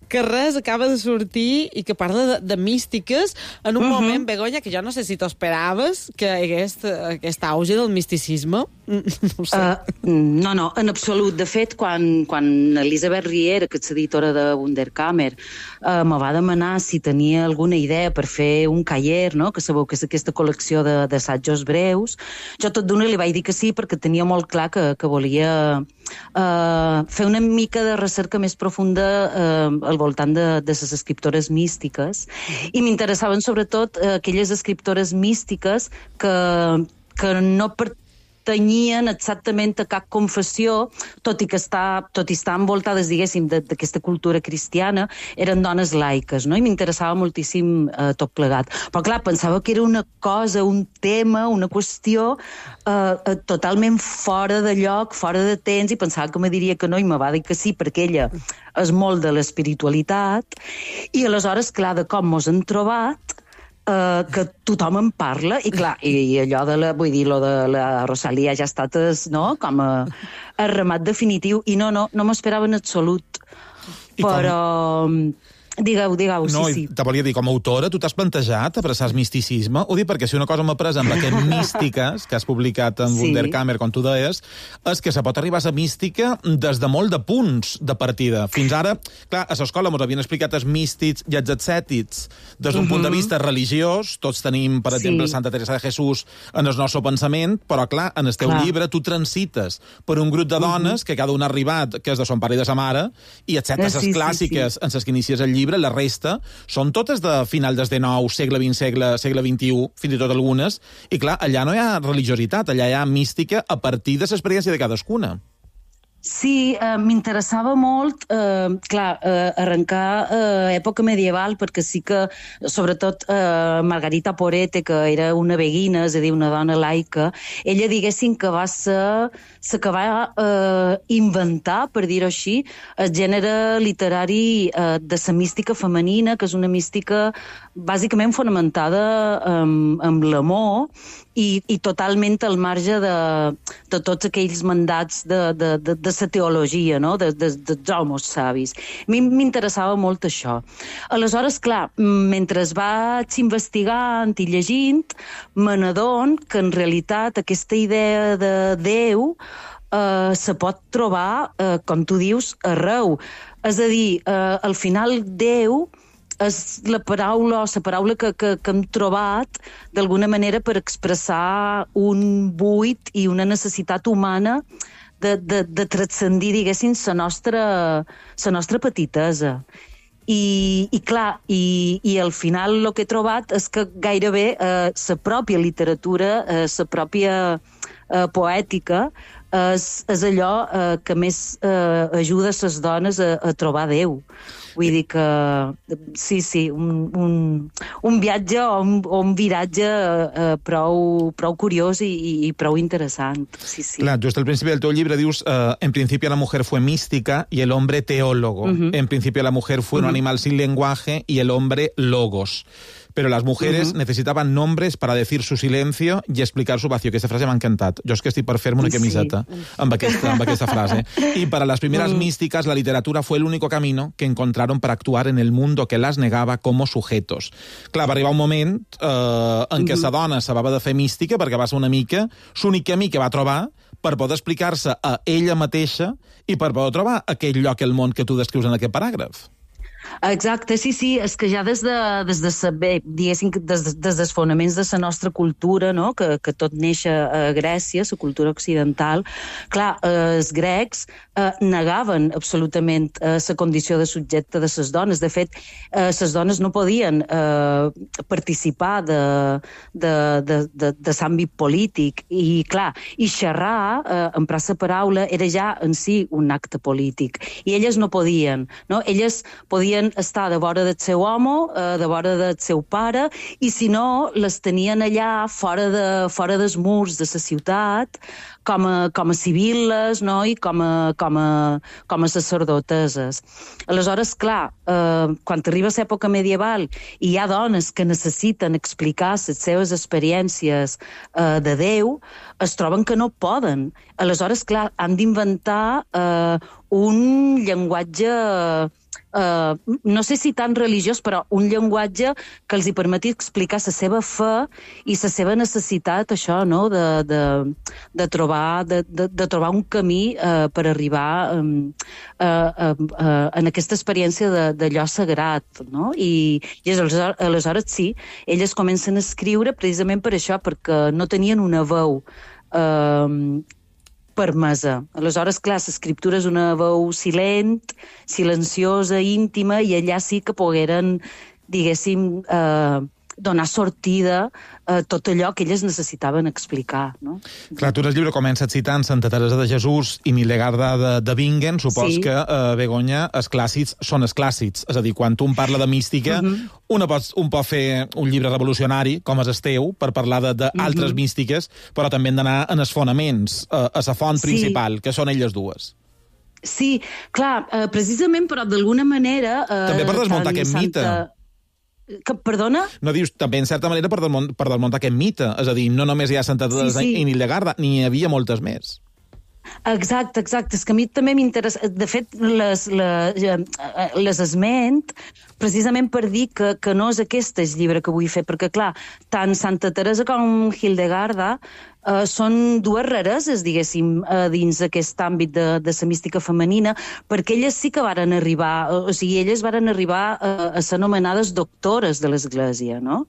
que res acaba de sortir i que parla de, de místiques en un uh -huh. moment, Begoña, que jo no sé si t'ho esperaves, que hi hagués aquest auge del misticisme. No sé. Uh, no, no, en absolut. De fet, quan, quan Elisabet Riera, que és editora de Wunderkammer, uh, me va demanar si tenia alguna idea per fer un cahier, no? Que sabeu que és aquesta col·lecció d'assajos breus, jo tot d'una li vaig dir que sí, perquè tenia molt clar que, que volia uh, fer una mica de recerca més profunda uh, al voltant de, de les escriptores místiques, i m'interessaven sobretot uh, aquelles escriptores místiques que, que no pertanyien exactament a cap confessió, tot i que està, tot i estar envoltades, diguéssim, d'aquesta cultura cristiana, eren dones laiques, no? I m'interessava moltíssim eh, tot plegat. Però, clar, pensava que era una cosa, un tema, una qüestió eh, eh, totalment fora de lloc, fora de temps, i pensava que me diria que no, i me va dir que sí, perquè ella és molt de l'espiritualitat, i aleshores, clar, de com mos han trobat, Uh, que tothom en parla, i clar, i, i allò de la, vull dir, lo de la Rosalia ja ha estat, no?, com a, a remat definitiu, i no, no, no m'esperava en absolut. I però... Com... Digueu, digueu, no, sí, sí. Te volia dir, com a autora, tu t'has plantejat abraçar el misticisme? Ho dic perquè si una cosa m'ha pres amb aquest Místiques, que has publicat en sí. Wunderkammer, com tu deies, és que se pot arribar a ser mística des de molt de punts de partida. Fins ara, clar, a l'escola ens havien explicat els místics i els ascètics des d'un uh -huh. punt de vista religiós. Tots tenim, per exemple, sí. Santa Teresa de Jesús en el nostre pensament, però, clar, en el teu clar. llibre tu transites per un grup de dones uh -huh. que cada un ha arribat, que és de son pare i de sa mare, i excepte sí, les clàssiques sí, sí. en les que inicies el llibre, la resta són totes de final del dinou, segle vint, segle, segle vint-i-u, fins i tot algunes, i clar, allà no hi ha religiositat, allà hi ha mística a partir de l'experiència de cadascuna. Sí, eh, m'interessava molt, eh, clar, eh, arrencar eh, època medieval, perquè sí que, sobretot, eh, Margarita Porete, que era una beguina, és a dir, una dona laica, ella, diguéssim, que va ser la que va eh, inventar, per dir-ho així, el gènere literari eh, de la mística femenina, que és una mística bàsicament fonamentada en, en l'amor, i, i totalment al marge de, de tots aquells mandats de, de, de, de la teologia, no? de, de, dels homes savis. A mi m'interessava molt això. Aleshores, clar, mentre vaig investigant i llegint, me n'adon que en realitat aquesta idea de Déu eh, se pot trobar, eh, com tu dius, arreu. És a dir, eh, al final Déu és la paraula, o la paraula que, que, que hem trobat d'alguna manera per expressar un buit i una necessitat humana de, de, de transcendir, diguéssim, la nostra, la nostra petitesa. I, i clar, i, i al final el que he trobat és que gairebé eh, la pròpia literatura, eh, la pròpia eh, poètica, és, és allò eh, que més eh, ajuda les dones a, a trobar Déu. Vull dir que, sí, sí, un, un, un viatge o un, o un viratge eh, prou, prou curiós i, i prou interessant. Sí, sí. Clar, just al principi del teu llibre dius eh, en principio la mujer fue mística y el hombre teólogo. Uh-huh. En principio la mujer fue uh-huh. un animal sin lenguaje y el hombre logos. Pero las mujeres uh-huh. necesitaban nombres para decir su silencio y explicar su vacío. Aquesta frase m'ha encantat. Jo és que estic per fer-me una camiseta sí. amb, aquesta, amb aquesta frase. Y para las primeras uh-huh. místicas, la literatura fue el único camino que encontraron para actuar en el mundo que las negaba como sujetos. Clar, va arribar un moment eh, en què uh-huh. sa dona s'havia de fer mística perquè va ser una mica l'únic camí que va trobar per poder explicar-se a ella mateixa i per poder trobar aquell lloc al món que tu descrius en aquest paràgraf. Exacte, sí, sí, és que ja des de, des de saber, diguéssim, des, des dels fonaments de la nostra cultura, no? que, que tot neix a Grècia, la cultura occidental, clar, eh, els grecs eh, negaven absolutament eh, la condició de subjecte de les dones. De fet, eh, les dones no podien eh, participar de, de, de, de, de l'àmbit polític, i clar, i xerrar, eh, emprar la paraula, era ja en si un acte polític, i elles no podien, no? Elles podien estar de vora del seu home, eh, de vora del seu pare, i si no, les tenien allà fora, de, fora dels murs de la ciutat, com a, com a civiles, no? I com a, com a, com a sacerdoteses. Aleshores, clar, eh, quan arriba l'època medieval i hi ha dones que necessiten explicar les seves experiències eh, de Déu, es troben que no poden. Aleshores, clar, han d'inventar eh, un llenguatge eh, no sé si tan religiós, però un llenguatge que els hi permeti explicar la seva fe i la seva necessitat, això, no?, de, de, de, trobar, de, de, de trobar un camí eh, per arribar eh, eh, eh, en aquesta experiència de, d'allò sagrat, no? I, i aleshores, aleshores sí, elles comencen a escriure precisament per això, perquè no tenien una veu eh, permesa. Aleshores, clar, l'escriptura és una veu silent, silenciosa, íntima, i allà sí que pogueren, diguéssim, eh, donar sortida a tot allò que elles necessitaven explicar, no? Clar, tu en el llibre comences citant Santa Teresa de Jesús i Millegarda de, de Bingen. Supos sí. que, eh, Begoña, els clàssics són els clàssics. És a dir, quan tu em parla de mística, uh-huh. una pot, un pot fer un llibre revolucionari, com és el teu, per parlar d'altres uh-huh. místiques, però també hem d'anar en els fonaments, eh, a la font sí. principal, que són elles dues. Sí, clar, eh, precisament, però d'alguna manera... Eh, també per desmuntar aquest Santa... mite. Que, perdona? No, dius, també en certa manera per, desmont, per desmuntar aquest mite. És a dir, no només hi ha Santa Teresa sí, sí. i Millegarda, n'hi havia moltes més. Exacte, exacte. És que a mi també m'interessa... De fet, les, les, les esment precisament per dir que, que no és aquest el llibre que vull fer, perquè, clar, tant Santa Teresa com Hildegarda Uh, són dues rareses, diguéssim, uh, dins aquest àmbit de, de la mística femenina, perquè elles sí que varen arribar, o sigui, elles varen arribar uh, a ser anomenades doctores de l'Església, no?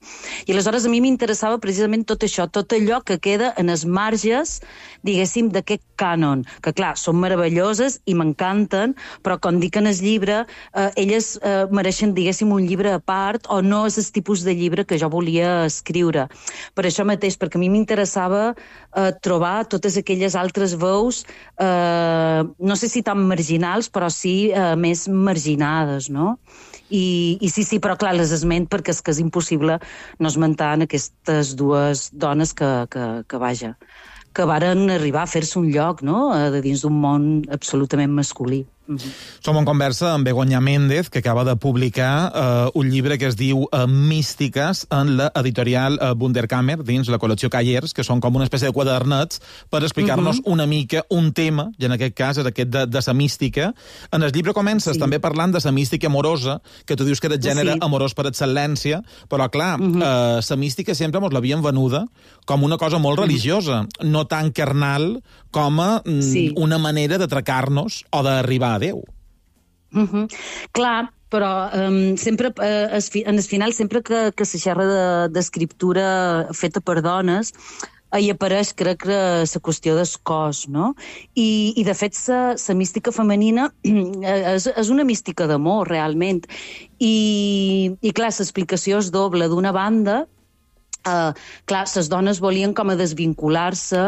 I aleshores a mi m'interessava precisament tot això, tot allò que queda en els marges, diguéssim, d'aquest cànon, que clar, són meravelloses i m'encanten, però com dic en el llibre, uh, elles uh, mereixen, diguéssim, un llibre a part, o no és el tipus de llibre que jo volia escriure. Per això mateix, perquè a mi m'interessava Uh, trobar totes aquelles altres veus, uh, no sé si tan marginals, però sí uh, més marginades, no? I, i sí, sí, però clar, les esment perquè és que és impossible no esmentar en aquestes dues dones que, que, que vaja, que varen arribar a fer-se un lloc, no?, de dins d'un món absolutament masculí. Uh-huh. Som en conversa amb Begoña Méndez, que acaba de publicar eh, un llibre que es diu eh, Místiques en l'editorial eh, Wunderkammer, dins la col·lecció Callers, que són com una espècie de quadernets per explicar-nos uh-huh. una mica un tema, i en aquest cas és aquest de, de sa mística. En el llibre comences sí. també parlant de sa mística amorosa, que tu dius que era el gènere sí. amorós per excel·lència, però clar, uh-huh. eh, sa mística sempre mos l'havien venuda com una cosa molt uh-huh. religiosa, no tan carnal com a mm, sí. una manera d'atracar-nos o d'arribar a Déu. Uh-huh. Clar, però um, sempre, uh, es, en el final, sempre que, que se xerra d'escriptura de, feta per dones, hi apareix, crec, la qüestió del cos, no? I, i de fet, la mística femenina és, és una mística d'amor, realment. I, i clar, l'explicació és doble. D'una banda, Uh, clar, les dones volien com a desvincular-se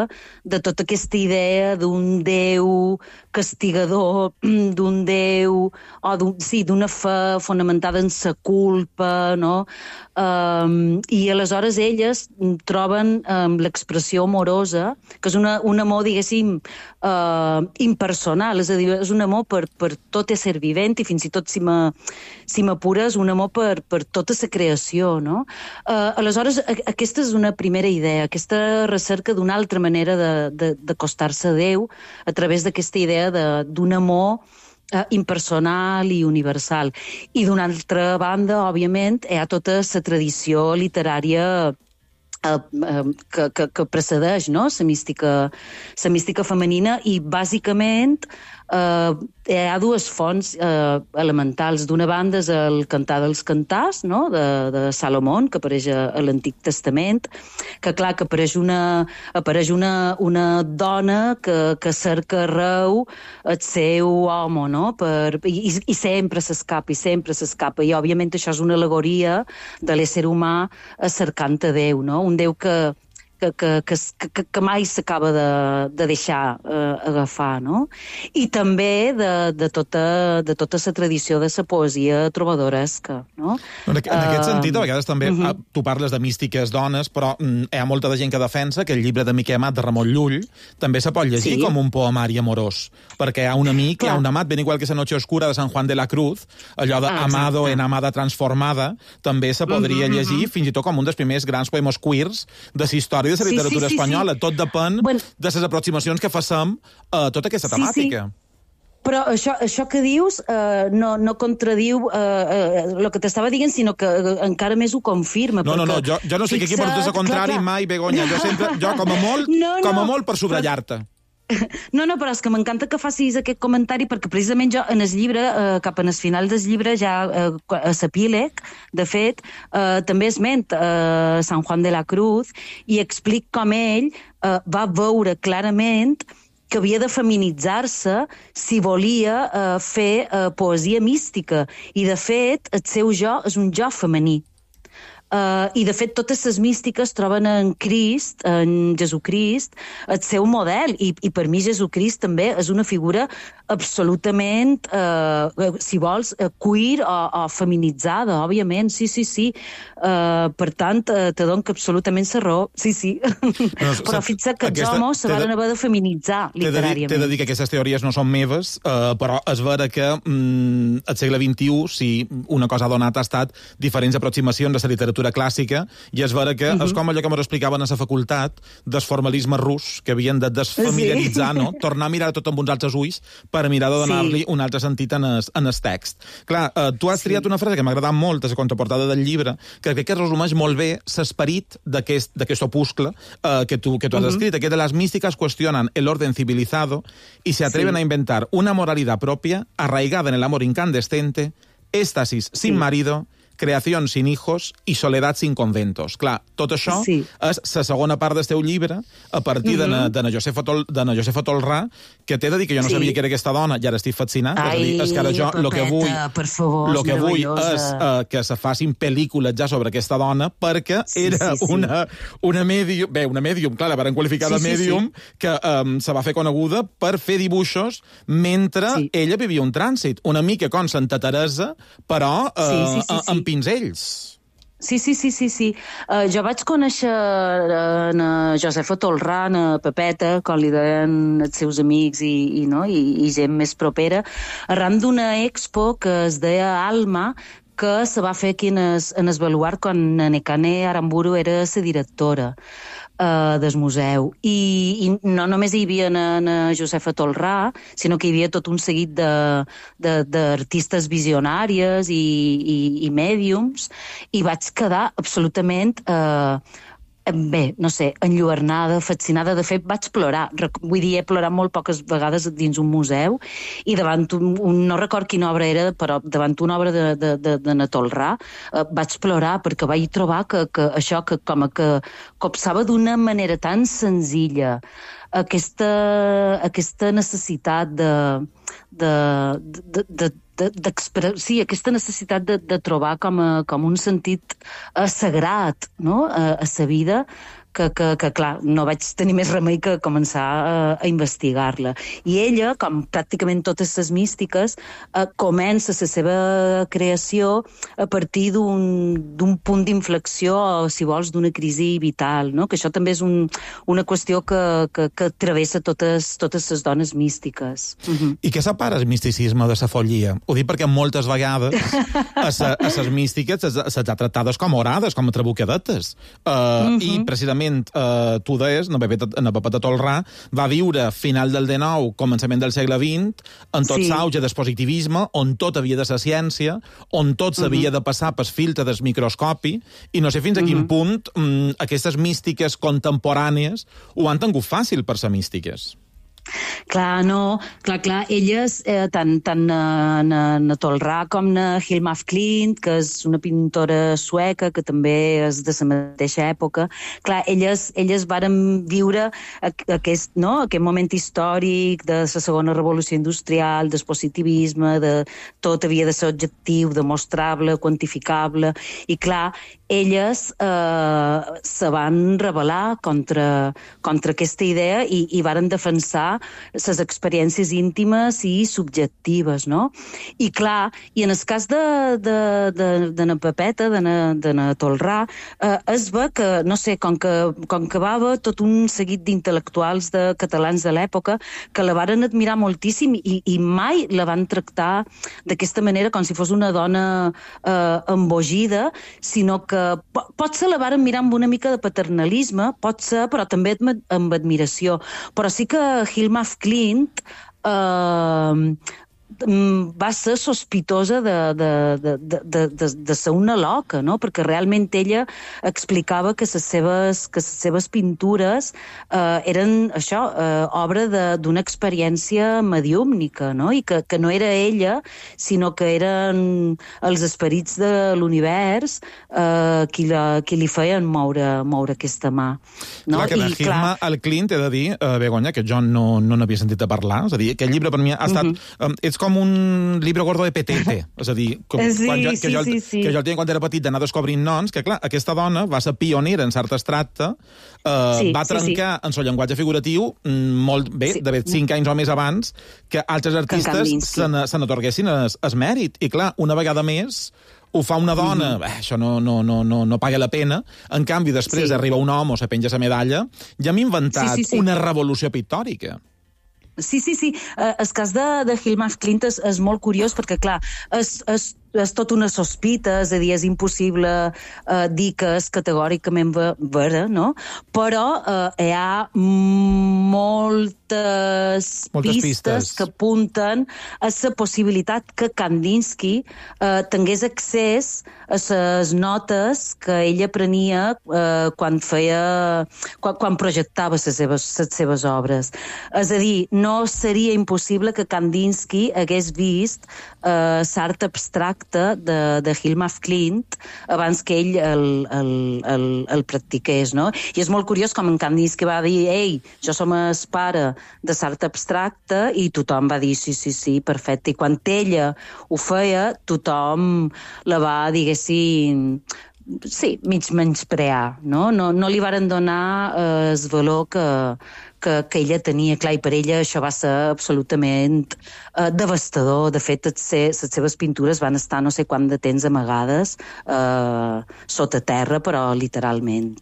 de tota aquesta idea d'un Déu castigador, d'un Déu, o d'un, sí, d'una fe fonamentada en sa culpa, no? Um, I aleshores elles troben um, l'expressió amorosa, que és una, un amor, diguéssim, uh, impersonal, és a dir, és un amor per, per tot ésser vivent, i fins i tot, si m'apures, un amor per, per tota la creació, no? Uh, aleshores, aquesta és una primera idea, aquesta recerca d'una altra manera d'acostar-se a Déu a través d'aquesta idea d'un amor eh, impersonal i universal. I d'una altra banda, òbviament, hi ha tota la tradició literària eh, eh, que, que, que precedeix, no?, la mística, la mística femenina, i bàsicament Uh, hi ha dues fonts uh, elementals. D'una banda és el Cantar dels Cantars, no?, de, de Salomón, que apareix a, a l'Antic Testament, que clar, que apareix una, apareix una, una dona que, que cerca arreu el seu home, no?, per, i, i sempre s'escapa, i sempre s'escapa, i òbviament això és una al·legoria de l'ésser humà cercant a Déu, no?, un Déu que Que, que, que, que mai s'acaba de, de deixar eh, agafar, no? I també de, de, tota, de tota la tradició de la poesia trobadoresca, no? En, en aquest sentit, a vegades també uh-huh. tu parles de místiques dones, però mm, hi ha molta de gent que defensa que el llibre de Miquel Amat de Ramon Llull també se pot llegir sí. com un poemari amorós, perquè hi ha un amic, Clar. hi ha un amat, ben igual que La Noche Oscura de San Juan de la Cruz, allò de ah, Amado en Amada Transformada, també se podria uh-huh, llegir uh-huh. fins i tot com un dels primers grans poemes queers de la història de la literatura sí, sí, sí, espanyola. Sí. Tot depèn bueno, de les aproximacions que facem a tota aquesta temàtica. Sí, sí. Però això, això que dius uh, no, no contradiu el uh, uh, que t'estava dient, sinó que uh, encara més ho confirma. No, no, no, jo, jo no sé fixa... que aquí portes a contrari clar, clar. mai, Begoña. Jo sempre, jo com a molt, no, no, com a molt per subratllar-te. No, no, però és que m'encanta que facis aquest comentari perquè precisament jo en el llibre, eh, cap en el final del llibre, ja eh, a l'epíleg, de fet, eh, també esment eh, Sant Juan de la Cruz i explic com ell eh, va veure clarament que havia de feminitzar-se si volia eh, fer eh, poesia mística. I, de fet, el seu jo és un jo femení. Uh, I, de fet, totes les místiques troben en Crist, en Jesucrist, el seu model. I, i per mi Jesucrist també és una figura absolutament, uh, si vols, uh, queer o, o feminitzada, òbviament. Sí, sí, sí. Uh, per tant, uh, te dono que absolutament la raó. Sí, sí. No, però fixa't que els homes se van haver de feminitzar, literàriament. T'he de dir que aquestes teories no són meves, uh, però és vera que mm, al segle vint-i-u, si una cosa ha donat, ha estat diferents aproximacions a la literatura clàssica, i és vera que uh -huh. és com allò que m'ho explicaven a la facultat del formalisme rus, que havien de desfamiliaritzar, sí. no? Tornar a mirar tot amb uns altres ulls per mirar de donar-li sí. un altre sentit en el, en el text. Clar, eh, tu has triat sí. una frase que m'ha agradat molt a la contraportada del llibre, que crec que resumeix molt bé l'esperit d'aquest opuscle eh, que tu, que tu has uh -huh. escrit, que de las místicas cuestionan el orden civilizado y se atreven sí. a inventar una moralidad propia arraigada en el amor incandescente, éxtasis sí. sin marido, creació sin hijos i soledat sin conventos. Clar, tot això sí. és la segona part del teu llibre, a partir uh -huh. de na Josefa, Tol, de na Josefa Tolrà, que t'he de dir que jo no sí. sabia que era aquesta dona, i ara estic fascinat. Ai, és, a dir, és que ara jo el que vull, per favor, lo que vull és uh, que se facin pel·lícules ja sobre aquesta dona, perquè sí, era sí, sí. una, una medium, bé, una medium, clar, la varen qualificar sí, de medium, sí, sí. que um, se va fer coneguda per fer dibuixos mentre sí. ella vivia un trànsit, una mica com Santa Teresa, però uh, sí, sí, sí, sí. amb pinzells. Sí, sí, sí, sí, sí. Uh, jo vaig conèixer uh, na Josefa Tolrà, na Pepeta, com li deien els seus amics i, i, no? I, i gent més propera, arran d'una expo que es deia Alma, que se va fer aquí en es, en es baluart quan Nekane Aramburu era la directora uh, del museu. I, I no només hi havia na, na Josefa Tolrà, sinó que hi havia tot un seguit d'artistes visionàries i, i, i mèdiums, i vaig quedar absolutament... Uh, bé, no sé, enlluernada, fascinada. De fet, vaig plorar. Vull dir, he plorat molt poques vegades dins un museu i davant un, un no record quina obra era, però davant una obra de, de, de, de na Tolrà eh, vaig plorar perquè vaig trobar que, que això que com a que copsava d'una manera tan senzilla aquesta, aquesta necessitat de... de, de, de sí, aquesta necessitat de, de trobar com, a, com un sentit uh, sagrat, no? a, a sa vida, que, que, que, clar, no vaig tenir més remei que començar a, a investigar-la. I ella, com pràcticament totes les místiques, uh, comença la seva creació a partir d'un punt d'inflexió, o, si vols, d'una crisi vital, no? Que això també és un, una qüestió que, que, que travessa totes, totes les dones místiques. Uh-huh. I què separa el misticisme de la follia? Ho dic perquè moltes vegades a les místiques se'ls ha tractades com orades, com a trabucadetes. Uh, uh-huh. I precisament Uh, tu deies, na Pepeta Tolrà va viure final del dinou, començament del segle vint, en tot l'auge sí. del positivisme, on tot havia de ser ciència, on tot s'havia uh -huh. de passar pel filtre del microscopi, i no sé fins a quin uh -huh. punt um, aquestes místiques contemporànies ho han tingut fàcil per ser místiques. Clar, no, clar, clar, elles, eh, tant, tant na, na, na Tolrà com na Hilma af Klint, que és una pintora sueca, que també és de la mateixa època, clar, elles, elles varen viure aquest, no, aquest moment històric de la segona revolució industrial, del positivisme, de tot havia de ser objectiu, demostrable, quantificable, i clar, elles eh, se van rebel·lar contra, contra aquesta idea i, i varen defensar les experiències íntimes i subjectives, no? I clar, i en el cas de, de, de, de na Pepeta, de na, de na Tolrà, eh, es ve que, no sé, com que, com que va haver tot un seguit d'intel·lectuals de catalans de l'època que la varen admirar moltíssim i, i mai la van tractar d'aquesta manera com si fos una dona eh, embogida, sinó que pot ser la varen mirar amb una mica de paternalisme, pot ser, però també amb admiració. Però sí que Hilma af Klint eh, va ser sospitosa de, de, de, de, de, de ser una loca, no? Perquè realment ella explicava que les seves, que les seves pintures eh, eren això, eh, obra d'una experiència mediúmnica, no? I que, que no era ella, sinó que eren els esperits de l'univers eh, qui, la, qui li feien moure, moure aquesta mà. No? Clar, que de I, Hilma clar... al Clint, he de dir, uh, Begoña, que jo no no n'havia sentit a parlar, és a dir, aquest llibre per mi ha estat... Uh-huh. um, ets com un llibre gordo de petete, és a dir, com, sí, quan jo, que, sí, jo, sí, sí. que jo el tenia quan era petit d'anar descobrint noms, que clar, aquesta dona va ser pionera en cert abstracte, uh, sí, va trencar sí, sí. en el llenguatge figuratiu molt bé, sí. d'haver cinc anys o més abans, que altres artistes se n'atorguessin es, es mèrit. I clar, una vegada més, ho fa una dona, mm-hmm. eh, això no, no, no, no, no paga la pena, en canvi després sí. arriba un home o se penja la medalla, ja hem inventat sí, sí, sí. una revolució pictòrica. Sí, sí, sí. Uh, el cas de, de Hilma af Klint és, és molt curiós perquè, clar, és, és, és tot una sospita, és a dir, és impossible uh, dir que és categòricament vera, no? Però uh, hi ha moltes, moltes pistes, pistes que apunten a la possibilitat que Kandinsky uh, tingués accés a les notes que ella prenia uh, quan feia, quan, quan projectava les seves, les seves obres. És a dir, no seria impossible que Kandinsky hagués vist uh, l'art abstracte de, de Hilma af Klint abans que ell el, el, el, el practiqués, no? I és molt curiós com en Kandinsky va dir, ei, jo som el pare de l'art abstracte, i tothom va dir, sí, sí, sí, perfecte. I quan ella ho feia, tothom la va, diguéssim, sí, mig menysprear, no? No, no li varen donar eh, el valor que, que, que ella tenia. Clar, i per ella això va ser absolutament eh, devastador. De fet, les seves pintures van estar no sé quant de temps amagades eh, sota terra, però literalment.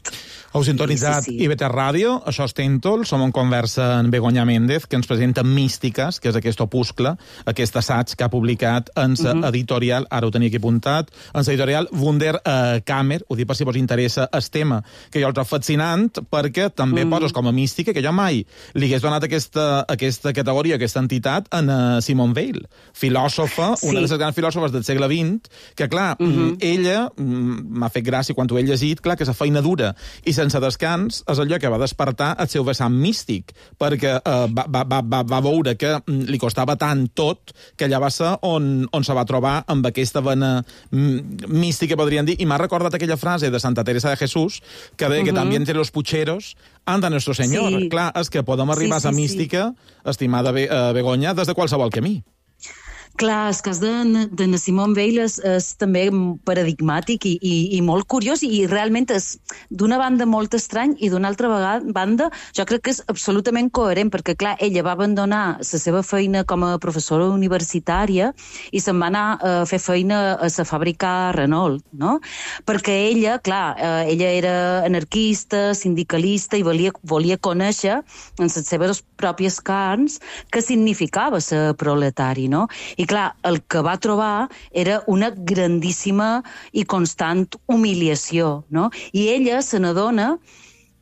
Heu sintonitzat sí, sí, sí. I B T Ràdio, això és Tèntol, som en conversa amb Begoña Méndez, que ens presenta Místiques, que és aquest opuscle, aquest assaig que ha publicat en la uh-huh. editorial, ara ho tenia aquí apuntat, en l'editorial Wunder eh, Kammer, ho dic per si vos interessa el tema, que jo el trobo fascinant, perquè també uh-huh. poses com a mística, que jo mai li hagués donat aquesta, aquesta categoria, aquesta entitat, en uh, Simone Weil, filòsofa, sí. una de les grans filòsofes del segle vint, que clar, uh-huh. ella, m'ha fet gràcia quan ho he llegit, clar, que és feina dura, i sense descans és allò que va despertar el seu vessant místic, perquè eh, va, va, va, va veure que li costava tant tot que allà va ser on, on se va trobar amb aquesta vena mística, podríem dir, i m'ha recordat aquella frase de Santa Teresa de Jesús que deia uh-huh. que també entre los pucheros anda nuestro Señor. Sí. Clar, és que podem arribar sí, sí, a la mística, sí. estimada Be uh, Begoña, des de qualsevol camí. Clar, el cas de, de Simone Weil és, és també paradigmàtic i, i, i molt curiós, i realment és d'una banda molt estrany i d'una altra vegada, banda jo crec que és absolutament coherent, perquè clar, ella va abandonar la seva feina com a professora universitària i se'n va anar a fer feina a la fàbrica Renault, no? Perquè ella, clar, eh, ella era anarquista, sindicalista i volia, volia conèixer en les seves pròpies carns què significava ser proletari, no? I clar, el que va trobar era una grandíssima i constant humiliació, no? I ella se n'adona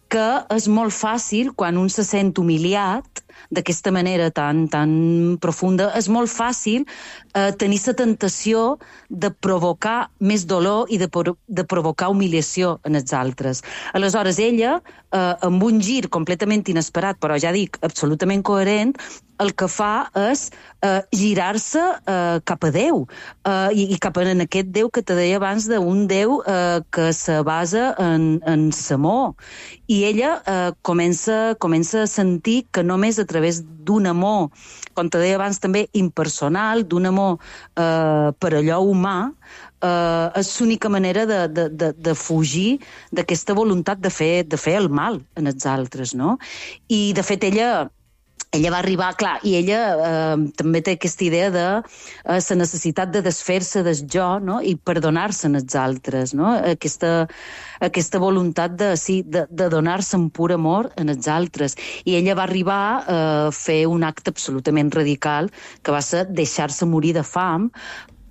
que és molt fàcil, quan un se sent humiliat d'aquesta manera tan, tan profunda, és molt fàcil eh, tenir la tentació de provocar més dolor i de, de provocar humiliació en els altres. Aleshores, ella, eh, amb un gir completament inesperat, però ja dic, absolutament coherent, el que fa és eh, girar-se eh, cap a Déu, eh, i, i cap a en aquest Déu que te deia abans, d'un Déu eh, que se basa en, en l'amor. I ella eh, comença, comença a sentir que només a través d'un amor, com te deia abans també, impersonal, d'un amor eh, per allò humà, eh, és l'única manera de, de, de, de fugir d'aquesta voluntat de fer, de fer el mal en els altres, no? I, de fet, ella... Ella va arribar, clar, i ella eh, també té aquesta idea de eh, la necessitat de desfer-se del jo, no? I perdonar-se als altres, no? Aquesta, aquesta voluntat de, sí, de, de donar-se en pur amor als altres. I ella va arribar a eh, fer un acte absolutament radical, que va ser deixar-se morir de fam,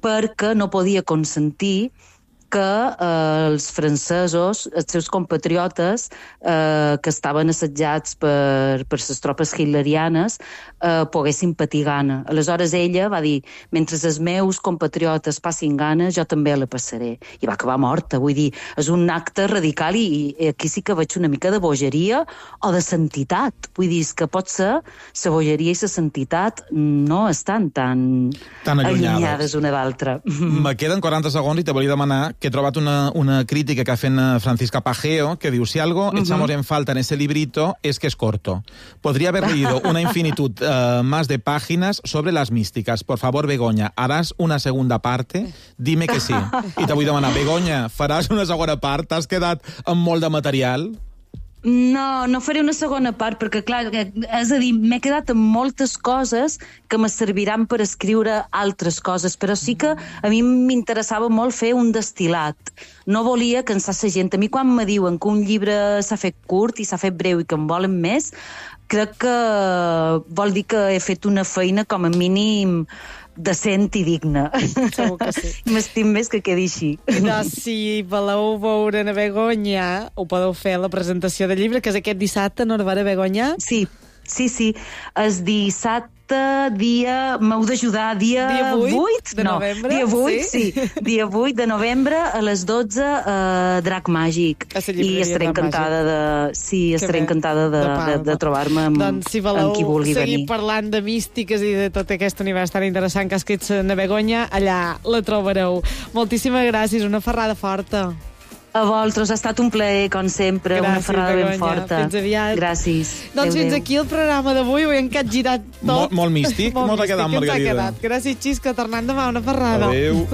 perquè no podia consentir que eh, els francesos, els seus compatriotes, eh, que estaven assetjats per, per les tropes hitlerianes, eh, poguessin patir gana. Aleshores ella va dir, mentre els meus compatriotes passin gana, jo també la passaré. I va acabar morta, vull dir, és un acte radical i, i aquí sí que veig una mica de bogeria o de santitat. Vull dir, que pot ser la bogeria i la santitat no estan tan, tan allunyades, allunyades una d'altra. Me queden quaranta segons i te volia demanar que he trobat una, una crítica que ha fet Francisca Pajeo, que diu, si algo uh-huh. echamos en falta en ese librito es que es corto. Podría haber leído una infinitud uh, más de páginas sobre las místicas. Por favor, Begoña, ¿harás una segunda parte? Dime que sí. I te vull demanar, Begoña, faràs una segona part? T'has quedat amb molt de material? No, no faré una segona part, perquè, clar, és a dir, m'he quedat amb moltes coses que me serviran per escriure altres coses, però sí que a mi m'interessava molt fer un destil·lat. No volia cansar la gent. A mi, quan me diuen que un llibre s'ha fet curt i s'ha fet breu i que en volen més, crec que vol dir que he fet una feina com a mínim decent i digna. Segur que sí. M'estim més que quedi així. Doncs si voleu veure a Begoña, ho podeu fer a la presentació del llibre, que és aquest dissabte, no, a Begoña? Sí, sí, sí. El dissabte, dia... M'heu d'ajudar, dia, dia vuit, vuit de no, novembre? Dia vuit, sí. sí. Dia vuit de novembre a les dotze a Drac Màgic. I estaré encantada de... Sí, estaré encantada de, de, de trobar-me amb, doncs, si voleu amb qui vulgui seguir venir. Parlant de místiques i de tot aquest univers tan interessant que ha escrit na Begoña, allà la trobareu. Moltíssimes gràcies, una ferrada forta. A vosaltres, ha estat un plaer, com sempre, gràcies, una ferrada Begoña. Ben forta. Fins aviat. Gràcies. Doncs Adéu, fins adéu. aquí el programa d'avui, ho hem capgirat tot. Molt, molt místic, molt, molt ha quedat, Margarida. Gràcies, Xisco, tornant demà, una ferrada. Adéu.